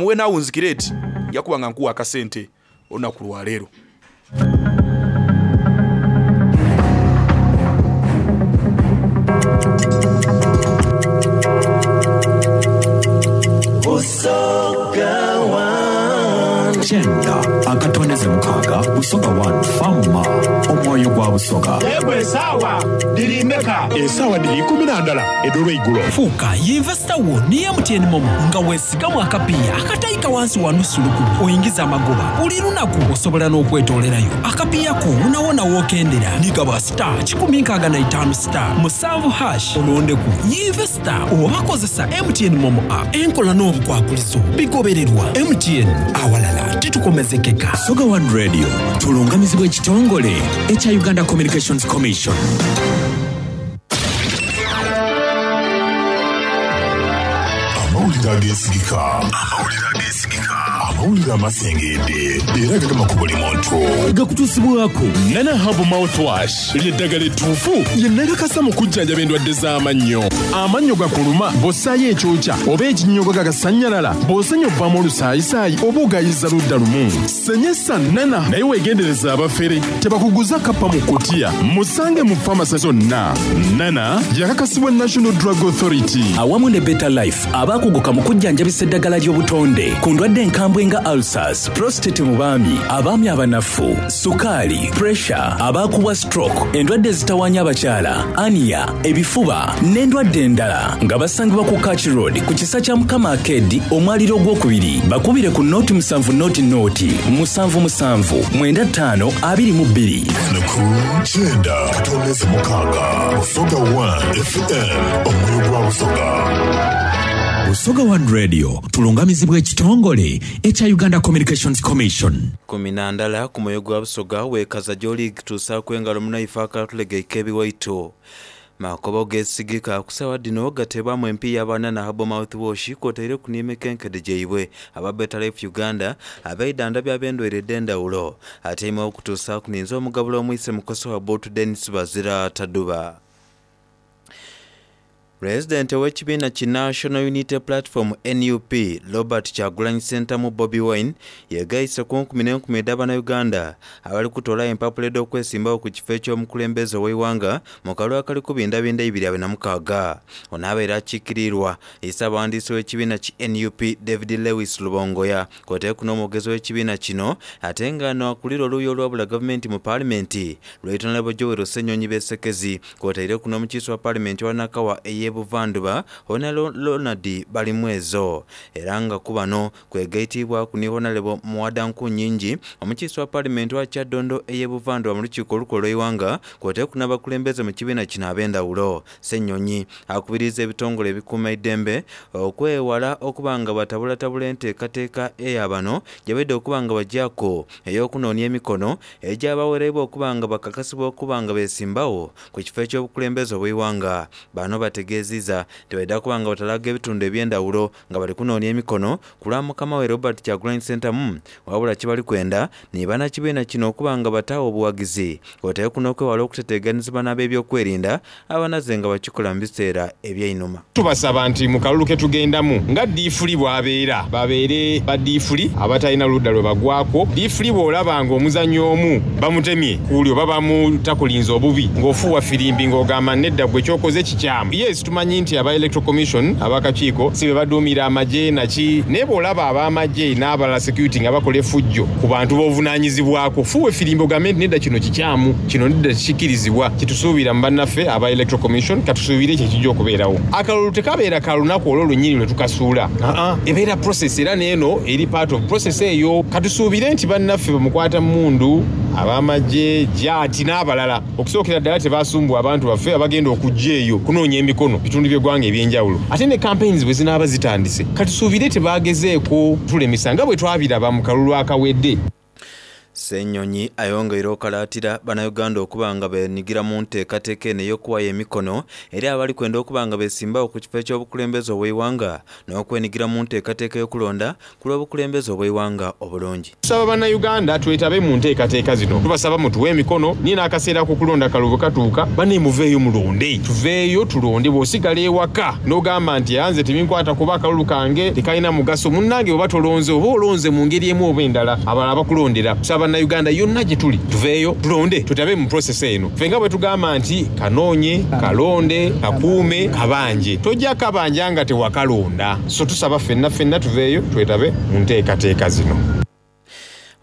Bw'enaawunzikira eti, nja kuba nga nkuwa akasente olunaku lwa leero. Busoga One. Kyenda akatondeze mukaaga Busoga One Farmer omwoyo gwa Busoga. Yegwe esaawa dhiri meka? Esaawa dhiri ikuminandala edh'olweigulo. Fuuka yinvesita wo ni MTN MoMo nga wesigamu akapiiya akataika wansi wa nusu lukumi oingize amagoba buli lunaku. Osobola n'okwetoolerayo akapiiya ko wonawona w'okendera ni gaba star 165 star musanvu hash olondeku yinvesita oba kozesa MTN MoMo app. Enkola n'obukwakulizo bigobererwa. MTN, awalala titukomezekeka. Busoga One Radio tulungamizibwa ekitongole ekya Uganda Communications Commission. Amawulire ageesigika. Amawulire amasengeedde era agagema ku buli muntu. Gakutuusibwaku Nana Herbal Mouthwash ly'eddagala ettuufu lye nakakasa mu kujjanjaba endwadde z'amannyo. Amannyo gakuluma bw'ossaayo ekyokya oba ekinnyogoga gasannyalala, bw'osenya ovaamu olusaayisaayi oba ogayiza ludda lumu. Senyesa Nana naye weegendereze abafere tebakuguza kappa mu kkutiya. Musange mu famase zonna. Nana yakakasibwa National Drug Authority. Awamu ne Better Life abaakuguka mu kujjanjabisa eddagala ly'obutonde ku ndwadde enkambwe nga ulcers, prostate mu baami, abaami abanafu, sukaali, pressure, abaakubwa stroke, endwadde ezitawaanya abakyala, ania, ebifuba n'endwadde endala nga basangibwa ku Kach Road ku kisa kya Mukama Arcade omwaliro ogwokubiri. Bakubire ku nooti musanvu nooti nooti musanvu musanvu mwenda ttaano abiri mu bbiri. Ku kyenda katondeze mukaaga Busoga 1 FM omwoyo gwa Busoga. Busoga One Radio tulungamizibwa ekitongole ekya Uganda Communications Commission. Kuminandala ku mwoyo gwa Busoga weekaza gy'oli tuusaaku engalo munaife akatulegeike ebiwaito. Makobo geesigika ku saawa dhino gateebwamu empiiya aba Nana Herbal Mouthwash kw'otaireku n'emikenkede gyaibwe aba Better Life Uganda abeidhandhabya ab'endwaire edh'endhawulo. Atyaime okutuusaaku ninze omugabula omwise mukoso wa Bootu Denis Bazira Taduba. Pulezidenti ow'ekibiina ki National Unity Platform, nup, Robert Kyagulanyi Ssentamu, Bobi Wine, yegaise ku nkumi n'enkumi edh'Abanauganda abali kutoolayo empapula edh'okwesimbawo ku kifo eky'omukulembeze ow'eighanga mu kalulu akali kubindabinda 2026. Ono abaire akiikiriirwa Ssaabawandiisi w'ekibiina ki nup, David Lewis Lubongoya kwotaire n'omwogezi w'ekibiina kino ate nga ano akulira oluuyi olwabula gavumenti mu Paalimenti, Right Honourable Joel Ssenyonyi Besekezi kwotaireku n'omukiise wa Paalimenti owa Nakawa ey'e Buvandhuba Honourable Ronald Balimwezo era nga ku bano kwegaitiibwaku ni Honourable Muwada Nkunyingi omukiise wa Paalimenti owa Kyaddondo ey'e Buvandhuba mu lukiiko olukulu olw'eighanga kwotaireku n'abakulembeze mu kibiina kino ab'endhawulo. Ssenyonyi akubiriiza ebitongole ebikuuma eidembe okwewala okuba nga batabulatabula enteekateeka eya bano gyebaidha okuba nga bagyaku ey'okunoonia emikono egyabawereibwa okuba nga bakakasibwa okuba nga beesimbagho ku kifo eky'obukulembeze obw'eighanga. Bano bategeeziiza nti baidha kuba nga batalaga ebitundu eby'endhawulo nga bali kunoonia emikono ku lwa mukama we Robert Kyagulanyi Ssentamu wabula kyebali kwenda ni bannakibiina kino okuba nga bataagho obuwagizi kwotaire n'okwewala okuteteeganizibwa n'ab'ebyokwerinda abanaze nga bakikola mu biseera eby'einhuma. Tubasaba nti mu kalulu ke tugendamu nga ddiifuli bw'abeera, babeere baddiifuli abatalina ludda lwe bagwakwo. Ddiifuli bw'olaba ng'omuzannyi omu bamutemye kuuli oba bamutakulinze obubi ng'ofuuwa firimbi ng'ogamba nedda ggwe ky'okoze kikyamu. Yes, tumanyi nti aba Electoral Commission ab'akakiiko si be baduumira amagye naki, naye bw'olaba ab'amagye n'abalala security nga bakola effujjo ku bantu b'ovunaanyizibwako, fuuwa efirimbi ogambe nti nedda kino kikyamu, kino nedda tekikirizibwa. Kyetusuubira mu bannaffe aba Electoral Commission, katusuubire ekyo ekijja okubeerawo. Akalulu tekabeera ka lunaku olwo lwennyini lwe tukasuula, aa, ebeera process era n'eno eri part of process eyo. Katusuubire nti bannaffe bamukwata mmundu, ab'amagye, jaati n'abalala okusookera ddala tebasumbuwa abantu baffe abagenda okujja eyo kunoonya emikono bitundu by'eggwanga eby'enjawulo. Ate ne campaigns bwe zinaaba zitandise, katusuubire tebagezeeko tulemesa nga bwe twabiraba mu kalulu akawedde. Ssenyonyi ayongeire okalaatira bannayuganda okuba nga beenyigira mu nteekateeka eno ey'okuwayo emikono eri abali kwenda okuba nga beesimbawo ku kifo eky'obukulembeze obw'eighanga n'okwenyigira mu nteekateeka ey'okulonda ku lw'obukulembeze obw'eighanga obulungi. Tusaba Bannayuganda twetabe mu nteekateeka zino. Tubasaba mutuwe emikono ni n'akaseera ak'okulonda akalulu bwe katuuka, bannaye muveeyo mulonde. Tuveeyo tulonde. Bw'osigala ewaka n'ogamba nti nze tebinkwatako oba akalulu kange tekalina mugaso, munnange bw'oba tolonze oba olonze mu ngeri emu oba endala abalala bakulondera. Tusaba Bannayuganda yonna gye tuli tuveeyo tulonde twetabe mu process eno. Ffe nga bwe tugamba nti kanoonye, kalonde, kakuume, kabanje. Tojja kabanja nga tewakalonda. So tusaba ffenna ffenna tuveeyo twetabe mu nteekateeka zino.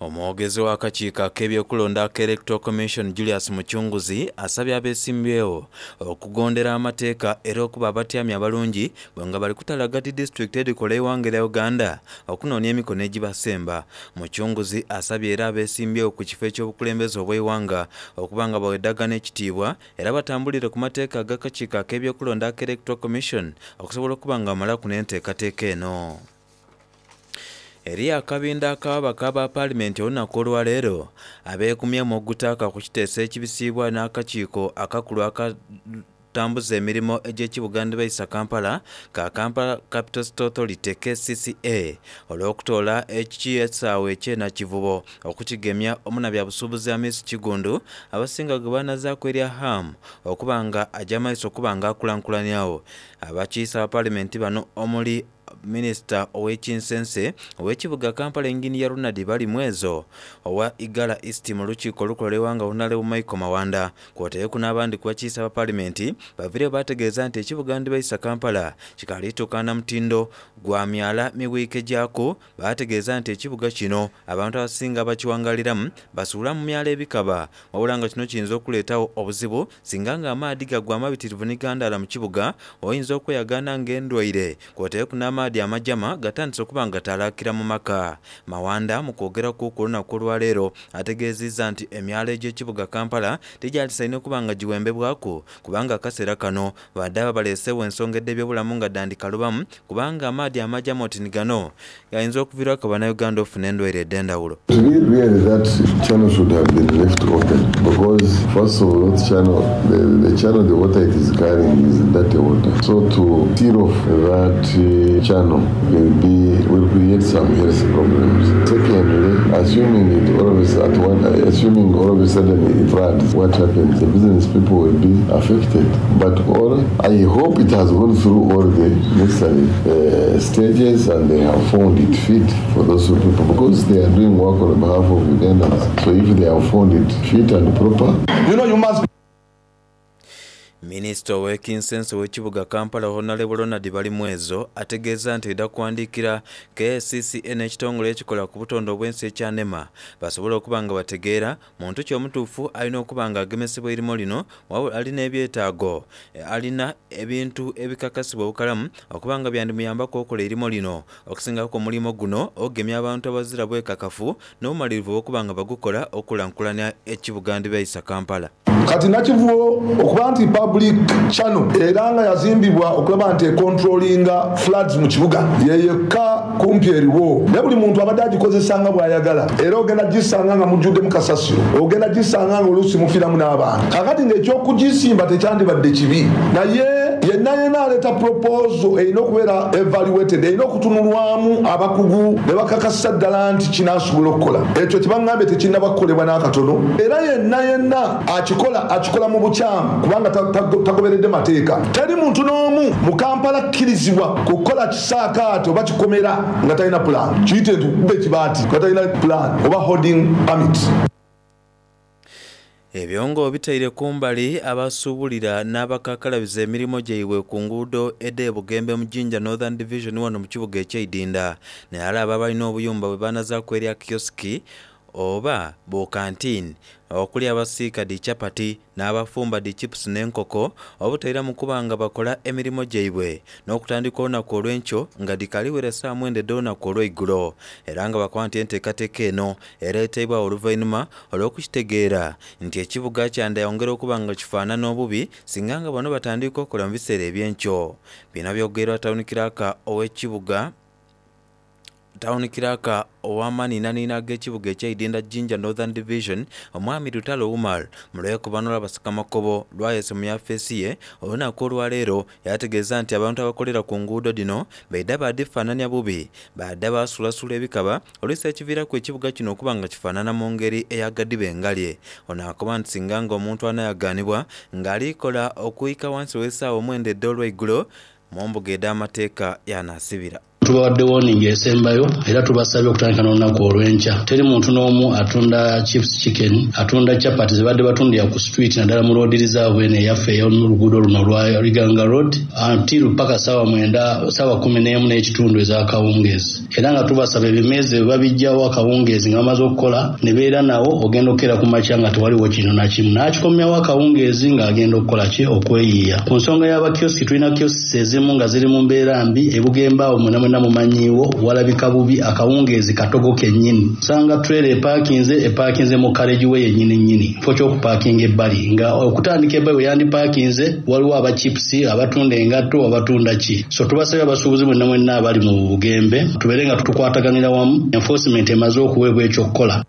Omwogezi w'akakiiko ak'ebyokulonda aka Electoral Commission Julius Muchunguzi asabye abesimbyewo okugondera amateeka era okuba abatyami abalungi bwe nga bali kutalaga dhi disitulikiti edhikola eighanga erya Uganda okunoonia emikono egibasemba. Muchunguzi asabye era abesimbyewo ku kifo eky'obukulembeze obw'eighanga okuba nga bawedagana ekitiibwa Era batambulire ku mateeka ag'akakiiko ak'ebyokulonda aka Electoral Commission okusobola okuba nga bamalaku n'enteekateeka eno. Eriyo akabindho ak'ababaka aba Paalimenti olunaku olwaleero abeekumyemu ogutaaka ku kiteeso ekibisiibwa n'akakiiko akakulu aka tambuza emirimo egy'ekibuga Ndibaisa Kampala ka Kampala Capital City Authority, kcca, olw'okutoola ekisaawe ekye Nakivubo Okukigemya omunabyabusuubuzi Hamis Kiggundu abasinga gwe baanazaaku erya Ham okuba nga aja maiso okuba nga akulankulaniagho abakiise aba Palimenti bano omuli Minisita ow'ekinsense ow'ekibuga Kampala Yinginiya Ronald Balimwezo, owa Igala East mu lukiiko olukola eighanga Honalebo Michael Mawanda Kwotaireku n'abandi ku bakiise aba Palimenti baviireyo baategeeza nti ekibuga Ndibaisa Kampala kikaali tuukana na mutindo gwa myala miwiike gyaku Baategeeza nti ekibuga kino abantu abasinga abakiwangaliramu basuula mu myalo ebikaba wabula nga kino kiyinza okuleetagho obuzibu singa nga amaadhi gagwa amabitirivu ni gandaala mu kibuga oyinza okweyagaana nga endwaire kwotaireku n'amaadhi amajama gatandise okuba nga gatalaakira mu maka. Mawanda mu kwogeraku ku lunaku olwaleero ategeezizza nti emyalo egy'ekibuga Kampala tigyalisaine kuba nga giwembebwaku kubanga akaseera kano badhaaba baleesewo ensonga edh'ebyobulamu nga dhandikalubamu kubanga amaadhi amajama oti ni gano gayinza okuviiraku Bannayuganda okufuna endwaire edh'endhawulo. To me really that channel should have been left open because first of all that channel the, the channel the water it is carrying is dirty water so to seal off that channel will be will create some health problems. Secondly, assuming it all of a, at one, assuming all of a sudden it floods, what happens? The business people will be affected. But all I hope it has gone through all the necessary uh, stages and they have found it fit for those people because they are doing work on behalf of Ugandans. So if they have found it fit and proper. You know you must Minisita ow'ekinsense ow'ekibuga Kampala Honalebo Ronald Balimwezo ategeeza nti aidha kuwandiikira KCCA n'ekitongole ekikola ku butonde obw'ensi ekya nema basobole okuba nga bategeera Muntu ki omutuufu alina okuba nga agemesebwa eirimo lino wabula alina ebyetaago? Alina ebintu ebikakasibwa obukalamu okuba nga byandimuyambaku okola eirimo lino. Okusingaku omulimo guno ogugemya abantu abazira bwekakafu n'obumalirivu obw'okuba nga bagukola okukulankulania ekibuga Ndibaisa Kampala. Kati Nakivubo okuba nti public channel era nga yazimbibwa okulaba nti econtrollinga floods mu kibuga yeyekka kumpi eriwo naye buli muntu abadde agikozesa nga bw'ayagala era ogenda gisanga nga mujjuddemu kasasiro, ogenda gisanga nga oluusi mufiiramu n'abantu. Kaakati ng'ekyokugisimba tekyandibadde kibi naye yenna yenna aleeta proposal erina okubeera evaluated, erina okutunulwamu abakugu ne bakakasisa ddala nti kinaasobola okukola. Ekyo kye bangambye tekinnaba kukolebwa n'akatono era yenna yenna akikola akikola mu bukyamu kubanga tagoberedde mateeka. Teri muntu n'omu mu Kampala akkirizibwa kukola kisaakaate oba kikomera nga talina pulaani. Kiyite nti okukuba ekibaati nga talina pulaani oba hoarding permit. Ebyo nga obitaire kumbali, abasuubulira n'abakakalabiza emirimo gyaibwe ku nguudo edh'e Bugembe mu Jinja Northern Division wano mu kibuga eky'e Idinda nairala abo abalina obuyumba bwebanazaaku erya kiyosiki oba bu kantiini okuli abasiika dhi chapati n'abafumba dhi chipusi n'enkoko obutairamu kuba nga bakola emirimo gyaibwe n'okutandika olunaku olw'enkyo nga dhikaali wera saawa mwenda edh'olunaku olw'eigulo era nga bakoba nti enteekateeka eno ereeteibwagho oluvainhuma olw'okukitegeera nti ekibuga kyandayongera okuba nga kifaanana obubi singa nga bano batandika okola mu biseera eby'enkyo. Bino byogeirwa tawuni kiraaka ow'ekibuga. Tawuni Kiraaka ow'amaniinaniina ag'ekibuga eky'eidinda Jinja Northern Division, Omwami Lutalo Umar mu lwekobano lw'abasakamakobo lwayese mu yafeesi ye olunaku olwaleero yaategeeza nti abantu abakolera ku nguudo dhino baidha baadhifaanania bubi baadha baasulasula ebikaba oluusi ekiviiraku ekibuga kino okuba nga kifaanana mu ngeri ey'agadiba engalye. Ono akoba nti singa nga omuntu anayagaanibwa nga ali kola okuika wansi w'esaawa omwenda edh'olweigulo mu mbuga edh'amateeka y'anaasibira. Tubawadde warning esembayo era tubasabye okutandika n'olunaku olw'enkya. Teri muntu n'omu atunda chips chicken, atunda chapati zebadde batundira ku street naddala mu road reserve eno eyaffe ey'omu luguudo luno olwa Iganga Road until paka saawa mwenda, saawa kumineemu n'ekitundu ez'akawungeezi. Era nga tubasaba ebimeeza ebyo babiggyawo akawungeezi nga bamaze okukola ne beera nawo ogenda okukeera ku makya nga tewaliwo kintu na kimu. N'akikomyawo akawungeezi ng'agenda okukola ki? Okweyiiya. Ku nsonga y'aba kiosk, tulina kiosks ezimu nga ziri mu mbeera mbi e Bugembe awo mwena mwena mumanyiiwo walabika bubi akawungeezi katogo kennyini. Osanga trailer epaakinze, epaakinze mu carriage way yennyini nnyini mu kifo ky'okupaakinga ebbali nga okutandika ebbali we yandipaakinze waliwo aba chips, abatunda engatto, abatunda ki. So tubasabye abasuubuzi mwenna mwenna abali mu Bugembe tubeere nga tukwataganira wamu, enforcement emaze okuweebwa eky'okukola.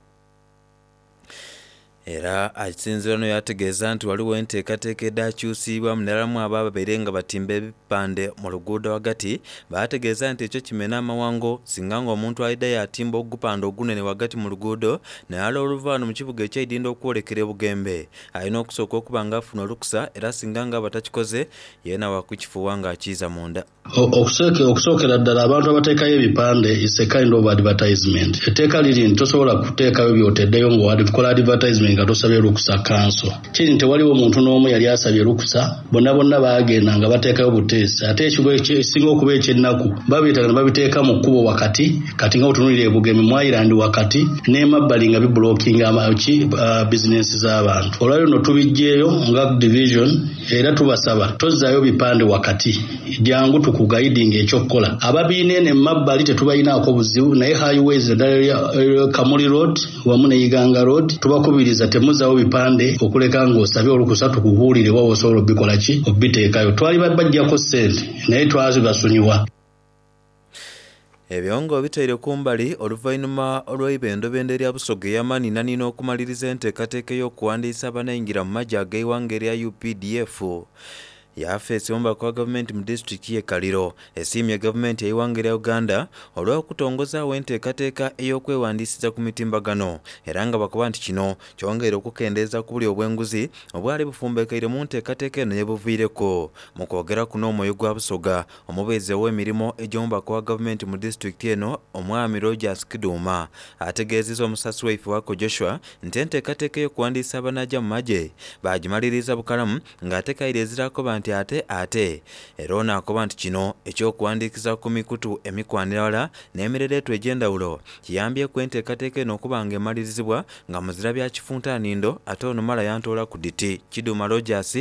Era akisinziira ghano yaategeeza nti ghaligho enteekateeka edhaakyusiibwamu nairalamu abo ababaire nga batimba ebipande mu luguudo ghagati. Baategeeza nti ekyo kimena amawango singa nga omuntu aidha yaatimba ogupande ogunene ghagati mu luguudo nairala oluva ghano mu kibuga eky'eidinda okwolekera e Bugembe. Alina okusooka okuba nga afuna olukusa era singa nga aba takikoze Yeena wa kukifuuwa ng'akiiza munda. Okusookera ddala abantu abateekayo ebipande it's a kind of advertisement. Etteeka liri nti tosobola kuteekayo by'oteddeyo nga okola advertisement nga tosabye lukusa kanso. Kiri nti tewaliwo muntu n'omu yali asabye lukusa, bonnabonna baagenda nga bateekayo buteesi ate ekisinga okuba eky'ennaku babireetanga ne babiteeka mu kkubo wakati kati nga bw'otunuulira e Bugemi mu Island wakati n'emabbali nga bibulokinga ki bizinensi z'abantu. Olwaleero no tubiggyeeyo nga division. Era tubasaba tozzaayo bipande wakati, jangu tukugaidinge eky'okukola. Ababiina eno emabbali tetubalinaako buzibu naye highways naddala eya Kamuli Road wamu ne Iganga Road tubakubiriza temuzaawo bipande okuleka ng'osabye olukusa tukubuulire wa w'osobola obikola ki obiteekayo. Twali babaggyako ssente naye twazibasonyiwa. Ebyo nga obitaire kumbali, oluvainhuma olw'eibendobendo erya Busoga ey'amaninanina okumaliriza enteekateeka ey'okuwandiisa abanaingira mu magye ag'eighanga erya updf, yafeesi omubaka wa gavumenti mu disitulikiti ye Kaliro esiimye gavumenti ey'eighanga erya Uganda olw'okutongozaawo enteekateeka ey'okwewandiisiza ku mitimbagano era nga bakoba nti kino kyongeire okukendeeza ku bulyo obw'enguzi obwali bufumbekeire mu nteekateeka eno yebuviireku. Mu kwogera kuno Omwoyo gwa Busoga Omubeezi ow'emirimo egy'omubaka wa gavumenti mu disitulikiti eno, Omwami Rogers Kiduma ategeezizza omusasi waife Wako Joshua nti enteekateeka ey'okuwandiisa abanaaja mu magye baagimaliriiza bukalamu ng'ate kaire ezira akoba nti ate ate era ono akoba nti kino eky'okuwandiikiza ku mikutu emikwanira ghala n'emirereetwa egy'endhawulo kiyambyeku enteekateeka eno okuba nga emalirizibwa nga muzira bya kifuntanindo ate ono mala yantoolaku dhiti. Kiduma Rogers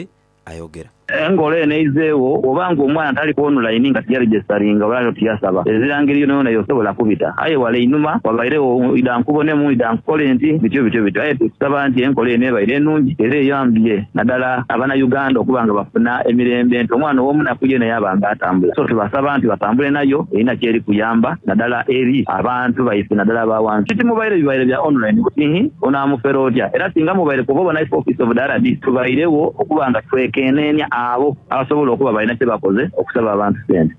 ayogera. Enkola eno eizeegho bw'oba nga omwana tali ku onulaini nga tiyaregisitaringa oba nga tiyasaba, ezira ngeri yonayona y'osobola kubita. Aye wale einhuma wabairegho idha nkubonemu, idha nkukole nti, bityo bityo bityo. Aye tusaba nti enkola eno ebaire nungi era eyambye nadala Abanayuganda okuba nga bafuna emirembe nti omwana ow'omunaku yeena yaaba nga atambula. So tubasaba nti batambule nayo erina ky'eri kuyamba nadala eri abantu baife nadala aba wansi. Titimubaire bibaire bya onulaini buti nhi onaamufera otya? Era singa mubaire kuva obona ife Office of the RD tubairegho okuba nga twekeneenia abo abasobola okuba balina kye bakoze okusaba abantu sente.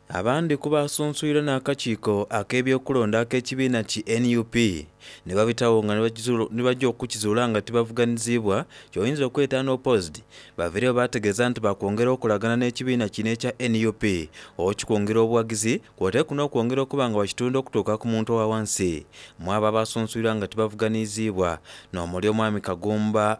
Abandi ku baasunsuirwe n'akakiiko ak'ebyokulonda ak'ekibiina ki nup ni babitagho nga ni baja okukizuula nga tibavuganiziibwa ky'oyinza okweta unopposed baviireyo baategeeza nti baakwongera okolagana n'ekibiina kino ekya nup okikwongera obuwagizi Kwotaire kuno okwongera okuba nga bakitunda okutuuka ku muntu owa wansi. Mwabo abasunsuirwa nga tibavuganiiziibwa n'omuli Omwami Kagumba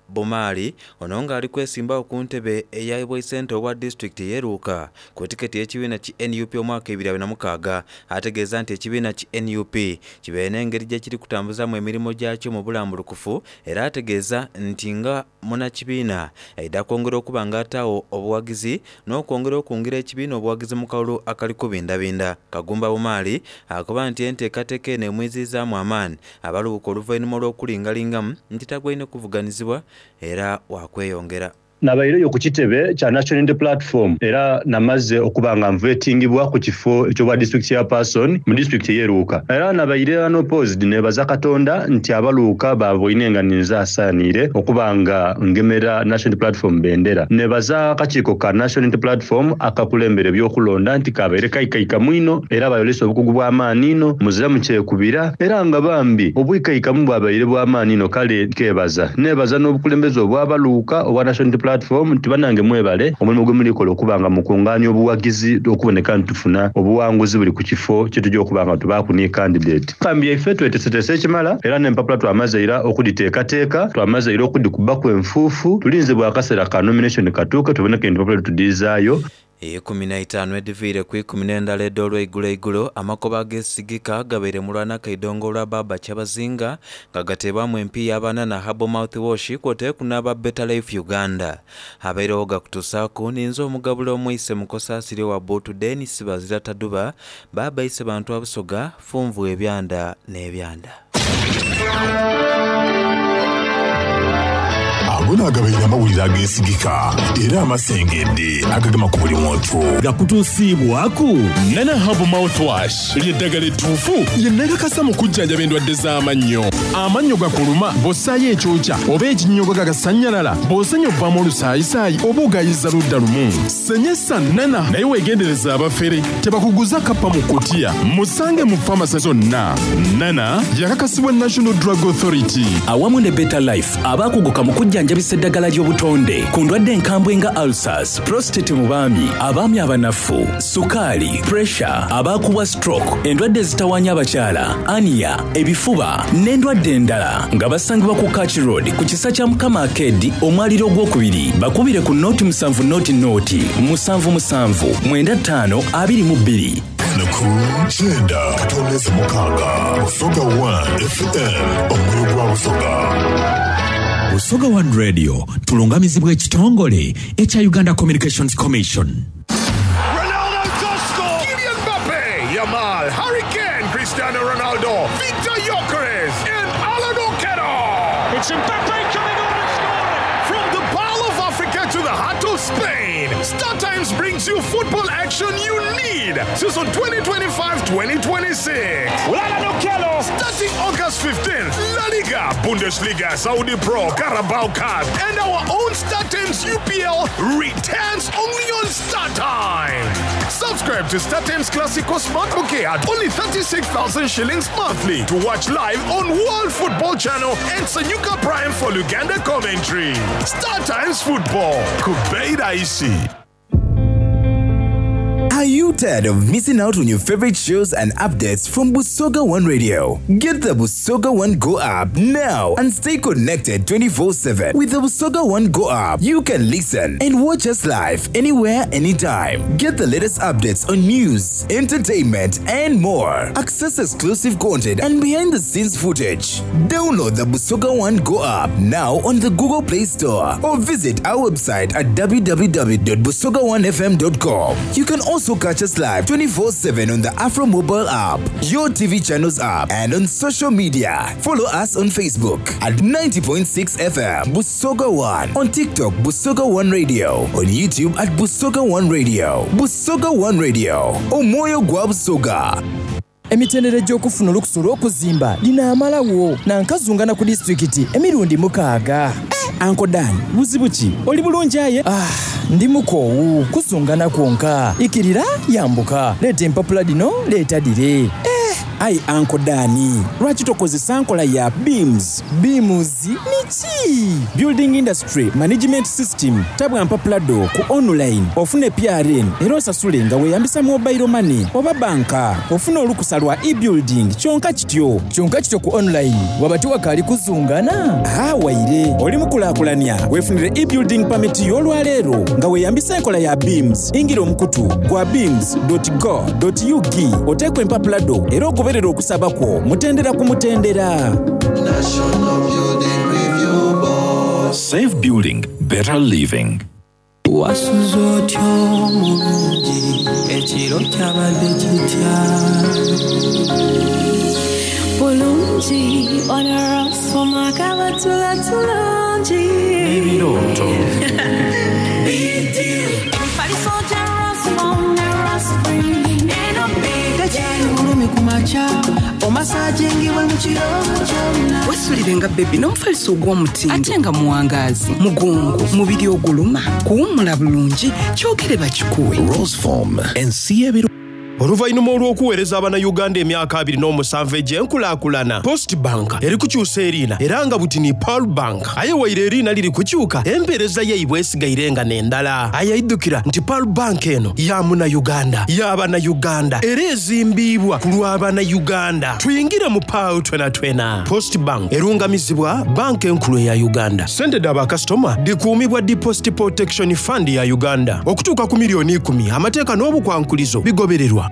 Bumaali ono nga ali kwesimbagho ku ntebe eya Bwaisente obwa disitulikiti ey'e Luuka ku tiketi y'ekibiina ki nup omwaka 2026 ategeeza nti ekibiina ki nup kibaire n'engeri gyekiri kutambuzaamu emirimo gyakyo mu bulambulukufu era ategeeza nti nga munakibiina aidha kwongera okuba nga ataagho obuwagizi n'okwongera okungira ekibiina obuwagizi mu kalulu akali kubindabinda. Kagumba Bumaali akoba nti enteekateeka eno emwiziizaamu amaani abalubuka oluvainhuma olw'okulingalingamu nti tagwaine kuvuganizibwa era wakweyongera. Nabaireyo ku kitebe kya National Unity Platform era namaze okuba nga nvetingibwa ku kifo eky'obwa District Chairperson mu disitulikiti ey'e Luuka. Era nabaire unopposed nebaza Katonda nti aba Luuka baaboine nga ninze asaaniire okuba nga ngemera National Unity Platform bendera. Nebaza akakiiko ka National Unity Platform akakulembera eby'okulonda nti kabaire kaikaikamu inho era bayolesa obukugu bw'amaani inho muziramu kyekubira era nga bambi obwikaikamu bwabaire bw'amaani inho kale nkebaza. Nebaza n'obukulembeze obwa Luuka obwa National Unity Platform nti banange mwebale omulimu gwemuli kola okuba nga mukungaania obuwagizi okuboneka nti tufuna obuwanguzi buli ku kifo kyetuja okuba nga tubaaku ni kandidate. Kambi yaife tweteseteese ekimala era n'empapula twamaze ira okudhiteekateeka, twamaze ira okudhikubaku enfuufu, tulinze bwa kaseera ka nomination katuuke tuboneke nti empapula tudhiizaayo. Eikumi n'eitaanu edhiviire ku ikumi n'endala edh'olweigulo eigulo, amakoba ageesigika gabaire mu lwa Nakaidongo olwa Baaba Kyabazinga nga gateebwamu empiiya aba Nana Herbal Mouthwash kwoteeku n'aba Better Life Uganda. Abairegho gakutusaaku ninze omugabula omweise Mukosa Asiri owa Buutu Denis Bazira Taduba, Baaba Isebantu wa Busoga, Funvu ebyanda n'ebyanda. Ago naagabaire amawulire ageesigika era amasengedde agagema ku buli muntu. Gakutuusiibwaku Nana Herbal Mouthwash, lye ddagala ettuufu lye nakakasa mu kujjanjaba endwadde z'amannyo. Amannyo gakuluma bw'ossaayo ekyokya oba ekinnyogoga agasannyalala, bw'osenya ovaamu olusaayisaayi oba ogaayiza ludda lumu. Senyesa Nana naye weegendereze abafere tebakuguza kappa mu kutiya. Musange mu famase zonna. Nana yakakasibwa National Drug Authority. Awamu ne Better Life abaakuguka mu kujjanjabisa eddagala ly'obutonde ku ndwadde enkambwe nga ulcers, prostate mu baami, abaami abanafu, sukaali, pressure, abaakubwa stroke, endwadde ezitawaanya abakyala, ania, ebifuba n'endwadde endala nga basangibwa ku Kach Road ku kisa kya Mukama Arcade omwaliiro ogwokubiri. Bakubire ku nooti musanvu nooti nooti musanvu musanvu mwenda ttaano 22. Enaku kyenda katondeze mukaaga Busoga One FM omwoyo gwa Busoga. Busoga One Radio tulungamizibwa ekitongole ekya Uganda Communications Commission. Ronaldo to score! Kylian Mbappe, Yamal, Harry Kane, Cristiano Ronaldo, Victor Gyökeres, and Alan Okello! It's Mbappe coming on and scoring! From the Pearl of Africa to the heart of Spain, Star Times brings you football action you need. Season 2025-2026. Alan Okello! Starting August 15th, La Liga, Bundesliga, Saudi Pro, Carabao Cup, and our own Star Times UPL returns only on Star Times. Subscribe to Star Times Classico Smart Bouquet at only 36,000 shillings monthly to watch live on World Football Channel and Sanyuka Prime for Luganda commentary. Star Times Football. Kubeida Isi. Are you tired of missing out on your favorite shows and updates from Busoga One Radio? Get the Busoga One Go app now and stay connected 24/7. With the Busoga One Go app, you can listen and watch us live anywhere, anytime. Get the latest updates on news, entertainment, and more. Access exclusive content and behind the scenes footage. Download the Busoga One Go app now on the Google Play Store or visit our website at www.busoga1fm.com. You can also catch us live 24/7 on the Afro Mobile app, your TV channels app, and on social media. Follow us on Facebook at 90.6 FM Busoga One, on TikTok Busoga One Radio, on YouTube at Busoga One Radio. Busoga One Radio, Omwoyo gwa Busoga. Emitendera egy'okufuna olukusa olw'okuzimba dhinaamalagho na nkazungana ku disitulikiti emirundi mukaaga. Anko Dan, buzibu ki? Oli bulungi aye? Ah, ndi mukoowu. Kuzungana kwonka. Ikirira, yambuka. Leeta empapula dhino, leeta dhire. Eh! Aye Anko Dan, lwaki tokozesa nkola ya BIMS? BIMS niki? Building Industry Management System. Tabwa mpapula dho ku online ofune PRN era osasule nga weeyambisa mobile money oba banka. Ofune olukusa lwa e-building kyonka kityo. Kyonka kityo ku online waba tiwakaali kuzungana? Haa waire. Oli mukulakulania weefunire e-building permit yo olwaleero nga weeyambisa enkola ya BIMS. Ingira omukutu gwa bims dot go dot ug oteeku empapula dho era ogoberere okusaba kwo mutendera ku mutendera. National Building Review Board. Safe building, better living. Wasuze otya omulungi ekiro kyabadde kitya? Bulungi onorosoma kabatula tulungi. N'ebirooto. Emifaliso gya Rosmom ne Rospring eno big Tekyali bulumi ku makya omasajingibwe mu kiro kyonna. Wesulire nga bebi n'omufaliso ogw'omutindo ate nga muwangaazi mugongo mubiri oguluma kuwummula bulungi kyogere bakikuwe. Roseform ensi y'ebiro. Oluvannyuma olw'okuweereza Abannayuganda emyaka 27 egy'enkulaakulana, Post Bank eri kukyusa eriina era nga buti ni Pearl Bank. Aye waire eriina liri kukyuka, empeereza yaibwe esigaire nga n'endala. Aye idhukira nti Pearl Bank eno ya Munayuganda, ya Bannayuganda era ezimbiibwa ku lwa Bannayuganda. Twingire mu Pearl twenatwena. Post Bank erungamizibwa Banka Enkulu eya Uganda. Sente dha bakasitoma dhikuumibwa Deposit Protection Fund ya Uganda okutuuka ku milioni ikumi. Amateeka n'obukwankulizo bigobererwa.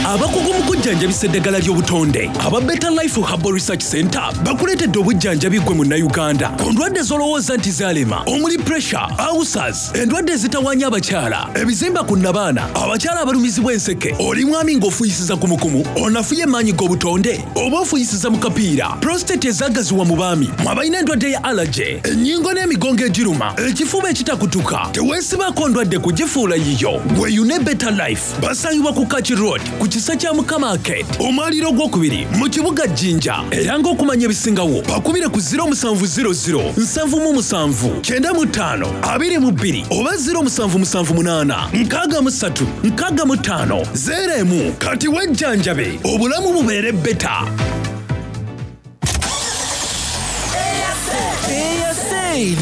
Abakugu mu kujjanjabisa eddagala ly'obutonde aba Better Life Herbal Research Center bakuleetedde obujjanjabi ggwe Munnayuganda ku ndwadde z'olowooza nti zaalema omuli pressure, ulcers, endwadde ezitawaanya abakyala, ebizimba ku nnabaana, abakyala abalumizibwa enseke, oli mwami ng'ofuuyisiza kumukumu, onafuye maanyi g'obutonde oba ofuuyisiza mu kapiira, prostate ezaagaziwa mu baami, mwe abalina endwadde ya allergy, ennyingo n'emigongo egiruma, ekifuba ekitakutuka, teweesibaako ndwadde kugifuula yiyo. Weeyune Better Life. Basangibwa ku Kaki Road ku kisa kya Mukama Arcade, omwaliiro ogwokubiri mu kibuga Jinja. Era ng'okumanya ebisingawo bakubire ku 0700 77 95 22 oba 0778 63 65 01. Kati wejjanjabe obulamu bubeere beta.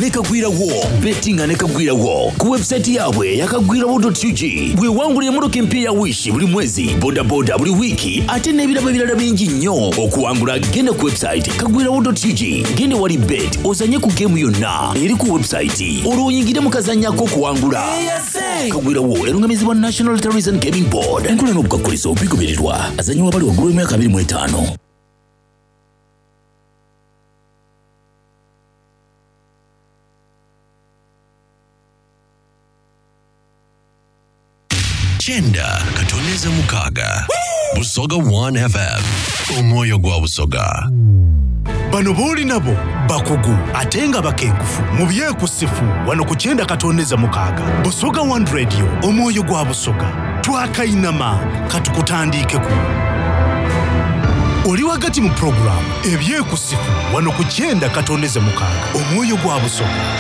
Ne Kagwirawo bettinga ne Kagwirawo ku website yaabwe eya kagwirawo.ug bwewangula emmotoka empya ya Wish buli mwezi, bodaboda buli wiiki ate n'ebirabo ebirala bingi nnyo. Okuwangula genda ku website kagwirawo.ug, genda wali bet ozanye ku geemu yonna eri ku website olwo oyingire mu kazannyo ak'okuwangula. Kagwirawo erungamizibwa National Lotteries and Gaming Board. Enkola n'obukakkulizo bigobererwa. Azannyibwa abali waggulu w'emyaka 25. Kyenda katondeze mukaaga Busoga 1 FM omwoyo gwa Busoga. Bano b'oli nabo bakugu ate nga bakenkufu mu byekusifu wano ku 96 Busoga One Radio omwoyo gwa Busoga. Twakainama katukutandiikeku. Oli wagati mu pulogulaamu ebyekusifu wano ku 96 omwoyo gwa Busoga.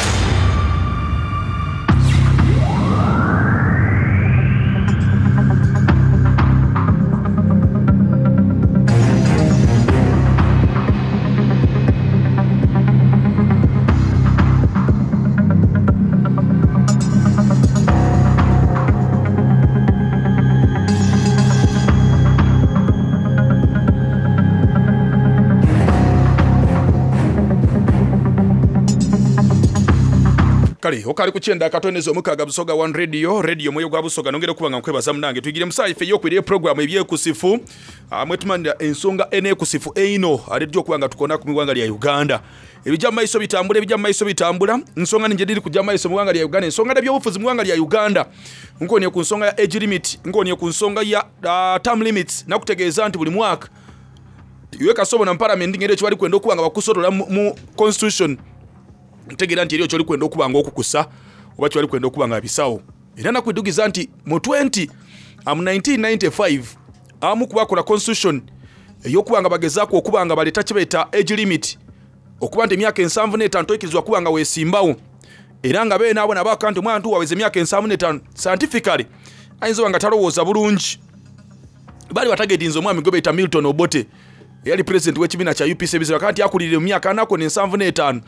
Kale okali ku 96 Busoga One Radio, radio mwoyo gwa Busoga. Nongera okuba nga nkwebaza munange. Tuyigire musayi ffe ey'okwira program ebyekusifu mwetumanira ensonga enekusifu eino alejja okuba nga tukona ku miwanga lya Uganda. Ebijja mu maiso bitambula, ebijja mu maiso bitambula. Nsonga ninje diri kujja mu maiso mu ggwanga lya Uganda. Ensonga n'ebyobufuzi mu ggwanga lya Uganda. Nkonye ku nsonga ya age limit, nkonye ku nsonga ya term limits. Nakutegeeza nti buli mwaka iwe kasobo na parliament ngeri ekyo bali kwenda okuba nga bakusotola mu constitution. Ntegeera nti eriyo kyoli kwenda okuba nga okukusa oba kyoli kwenda okuba nga bisawo. Era nakwidugiza nti mu twenty, mu 1995, abamu ku bakola constitution ey'okuba nga bagezaako okuba nga baleeta kye bayita age limit, okuba nti emyaka 75 toyikirizibwa kuba nga weesimbawo. Era nga beene abo nabo akantu omwana nti waweza emyaka 75 scientifically ayinza oba nga talowooza bulungi. Baali batagetinze omwami gwe bayita Milton Obote eyali president w'ekibiina kya UPC ebizibu akati akulirire mu myaka anako n'ensanvu n'etaano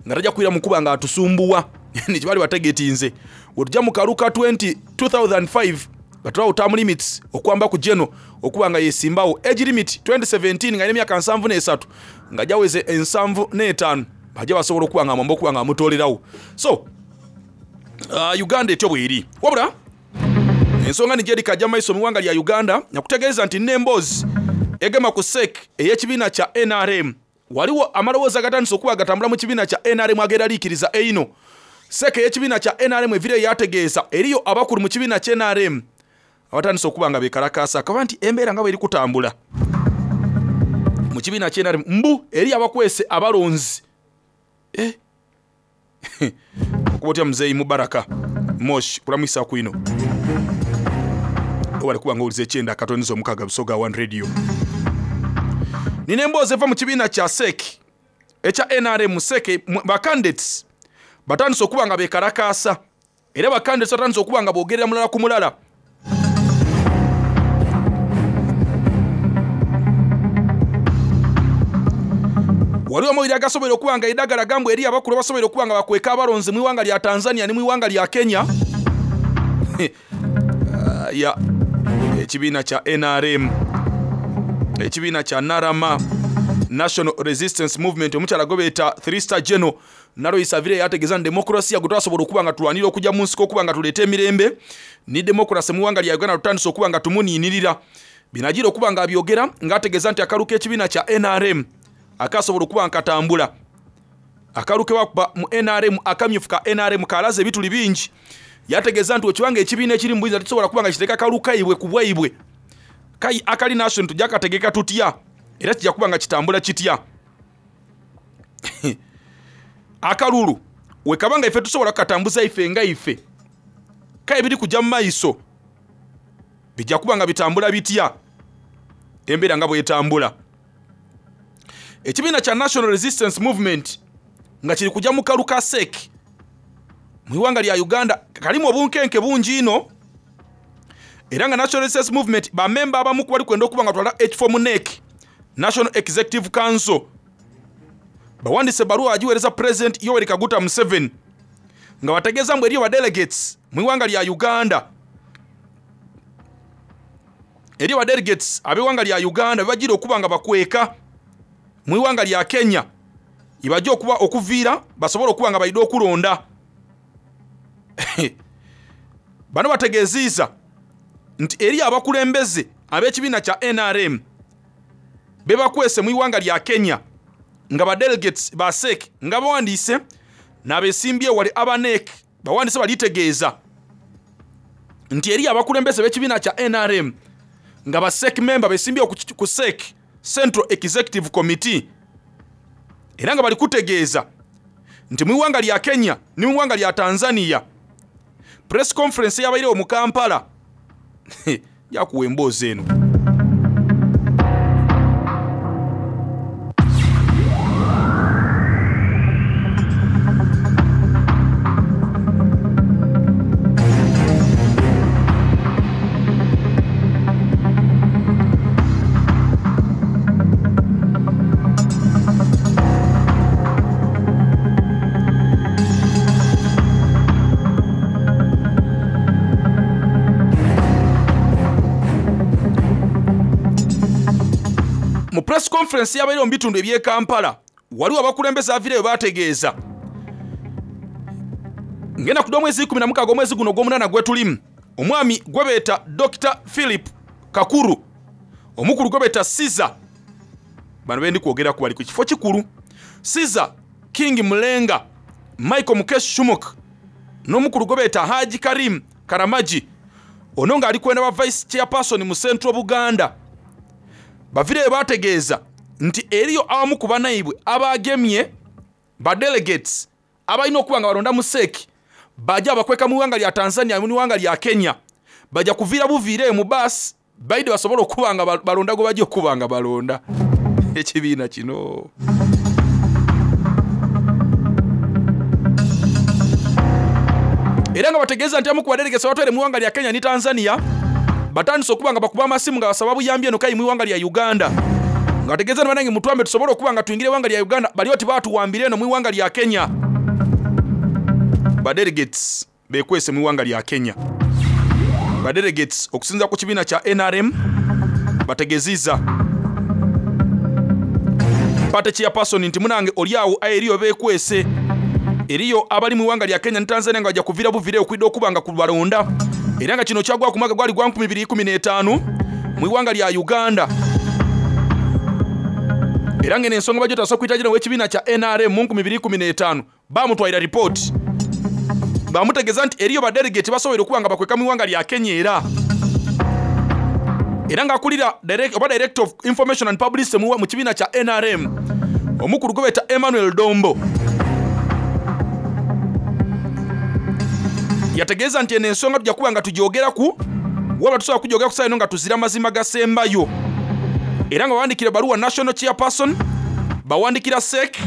nga tajja kwira mu kuba nga atusumbuwa. Ni bali bategetinze. Wetujja mu kaluka 2005 nga tulawo term limits okwamba ku geno okuba nga yesimbawo. Age limit 2017 nga emyaka 73 nga jaweze 75 bajja basobola okuba nga mwamba okuba nga amutoolerawo. So Uganda etyo bw'eri. Wabula ensonga ni Jerry Kajja Maiso mu ggwanga lya Uganda nakutegeeza nti n'emboozi egema ku SEC ey'ekibiina kya NRM. Waliwo amaloboozi agatandise okuba agatambula mu kibiina kya NRM ageeraliikiriza eino. SEC ey'ekibiina kya NRM evire yategeeza eriyo abakulu mu kibiina kya NRM abatandise okuba nga beekalakaasa akaba nti embeera nga bw'eri kutambula. Mu kibiina kya NRM mbu eri abakwese abalonzi. Eh. Okuba otya muzeeyi Mubaraka Mosh kulamwisa kwino. Obale kuba nga ekyenda akatonizo omukaga Busoga One Radio. Nina emboozi eva mu kibiina kya SEC ekya NRM SEC ba candidates batandise okuba nga beekalakaasa era ba candidates batandise okuba nga boogerera mulala ku mulala. Waliwo amawulire agasobola okuba nga eddagala gambwa eri abakulu abasobola okuba nga bakweka abalonzi mu iwanga lya Tanzania ne mu iwanga lya Kenya. Ya ekibiina kya NRM, ekibiina kya Narama National Resistance Movement, omukyala gwe beeta 3 star General Nalois Avire yategeeza nti demokrasiya gwe twasobola okuba nga tulwanira okujja mu nsiko okuba nga tuleeta emirembe ni demokrasi mu iwanga lya Uganda tutandise okuba nga tumuniinirira. Binagira okuba nga abyogera ng'ategeeza nti akalu k'ekibiina kya NRM akasobola okuba nga katambula. Akalu ke bakuba mu NRM, akamyufu ka NRM kalaze ebituli bingi. Yategeeza nti ekibanga ekibiina ekiri mu buyinza tekisobola kuba nga kiteeka kalu kaibwe ku bwaibwe. Kai akali national tujja kategeka tutya era kijja kuba nga kitambula kitya. Akalulu we kabanga ife tusobola kukatambuza ife nga ife kai biri kujja mu maiso bijja kuba nga bitambula bitya embeera nga bwetambula. Ekibiina kya National Resistance Movement nga kiri kujja mu kalu ka SEC mu iwanga lya Uganda kalimu obunkenke bungi ino era nga National Resistance Movement bamemba abamu kubali kwenda okuba nga twala ekifo mu NEC, National Executive Council, bawandise ebbaluwa agiweereza President Yoweri Kaguta Museveni nga bategeeza mbu eriyo ba delegates mu iwanga lya Uganda, eriyo ba delegates ab'eiwanga lya Uganda bebagira okuba nga bakweka mu iwanga lya Kenya ibajja okuba okuviira basobole okuba nga baida okulonda. Bano bategeziiza nti eri abakulembeze ab'ekibiina kya NRM bebakwese mu iwanga lya Kenya nga ba delegates ba SEC nga bawandiise n'abesimbye wali aba NEC bawandiise balitegeeza nti eri abakulembeze b'ekibiina kya NRM nga ba SEC member besimbye ku SEC Central Executive Committee era nga bali kutegeeza nti mu iwanga lya Kenya ne mu iwanga lya Tanzania press conference yabairewo mu Kampala yakuwa emboozi eno. Mu press conference yabaire mu bitundu eby'e Kampala waliwo abakulembeze avireyo bategeeza ngenda kudda omwezi 16 omwezi guno ogw'omunaana gwe tulimu omwami gwe beeta Dr. Philip Kakuru, omukulu gwe beeta Caesar, bano bendi kwogera ku bali ku kifo kikulu, Caesar King Mulenga, Michael Mukesh Shumuk n'omukulu gwe beeta Haji Karim Karamaji, ono ng'ali kwenda ba vice chairperson mu Central Buganda. Bavireyo bategeeza nti eriyo abamu ku banaibwe abagemye ba delegates abalina okuba nga balonda mu SEC bajja bakweka mu iwanga lya Tanzania mu iwanga lya Kenya, bajja kuviira buviire mu bus baide basobola okuba nga balonda gwe bajja okuba nga balonda. Ekibiina kino era nga bategeeza nti abamu ku ba delegates abatwere mu iwanga lya Kenya ne Tanzania batandise okuba nga bakuba amasimu nga basaba buyambi eno kai mu iwanga lya Uganda, nga bategeeza nti banange mutwambe tusobole okuba nga tuyingire iwanga lya Uganda, bali oti batuwambire eno mu iwanga lya Kenya. Ba delegates bekwese mu iwanga lya Kenya. Ba delegates okusinza ku kibiina kya NRM bategeziza party chairperson nti munange oli awo eriyo bekwese, eriyo abali mu iwanga lya Kenya ne Tanzania nga bajja kuvira buvire okwidda okuba nga kubalonda, era nga kino kyagwa ku mwaka gwali gwa 2015 mu iwanga lya Uganda. Era ng'eno ensonga bajja tasobola kuyita gino w'ekibiina kya NRM mu 2015 bamutwalira ripooti bamutegeeza nti eriyo ba delegate basobola okuba nga bakweka mu iwanga lya Kenya, Era ng'akulira oba Director of Information and Publicity mu kibiina kya nrm omukulu gwe beeta Emmanuel Dombo yategeeza nti eno ensonga tujja kuba nga tugyogeraku wabula tusobola kugyogera ku ssaawa eno nga tuzira mazima gasembayo. Era nga bawandikira ebbaluwa National Chairperson, bawandikira sec,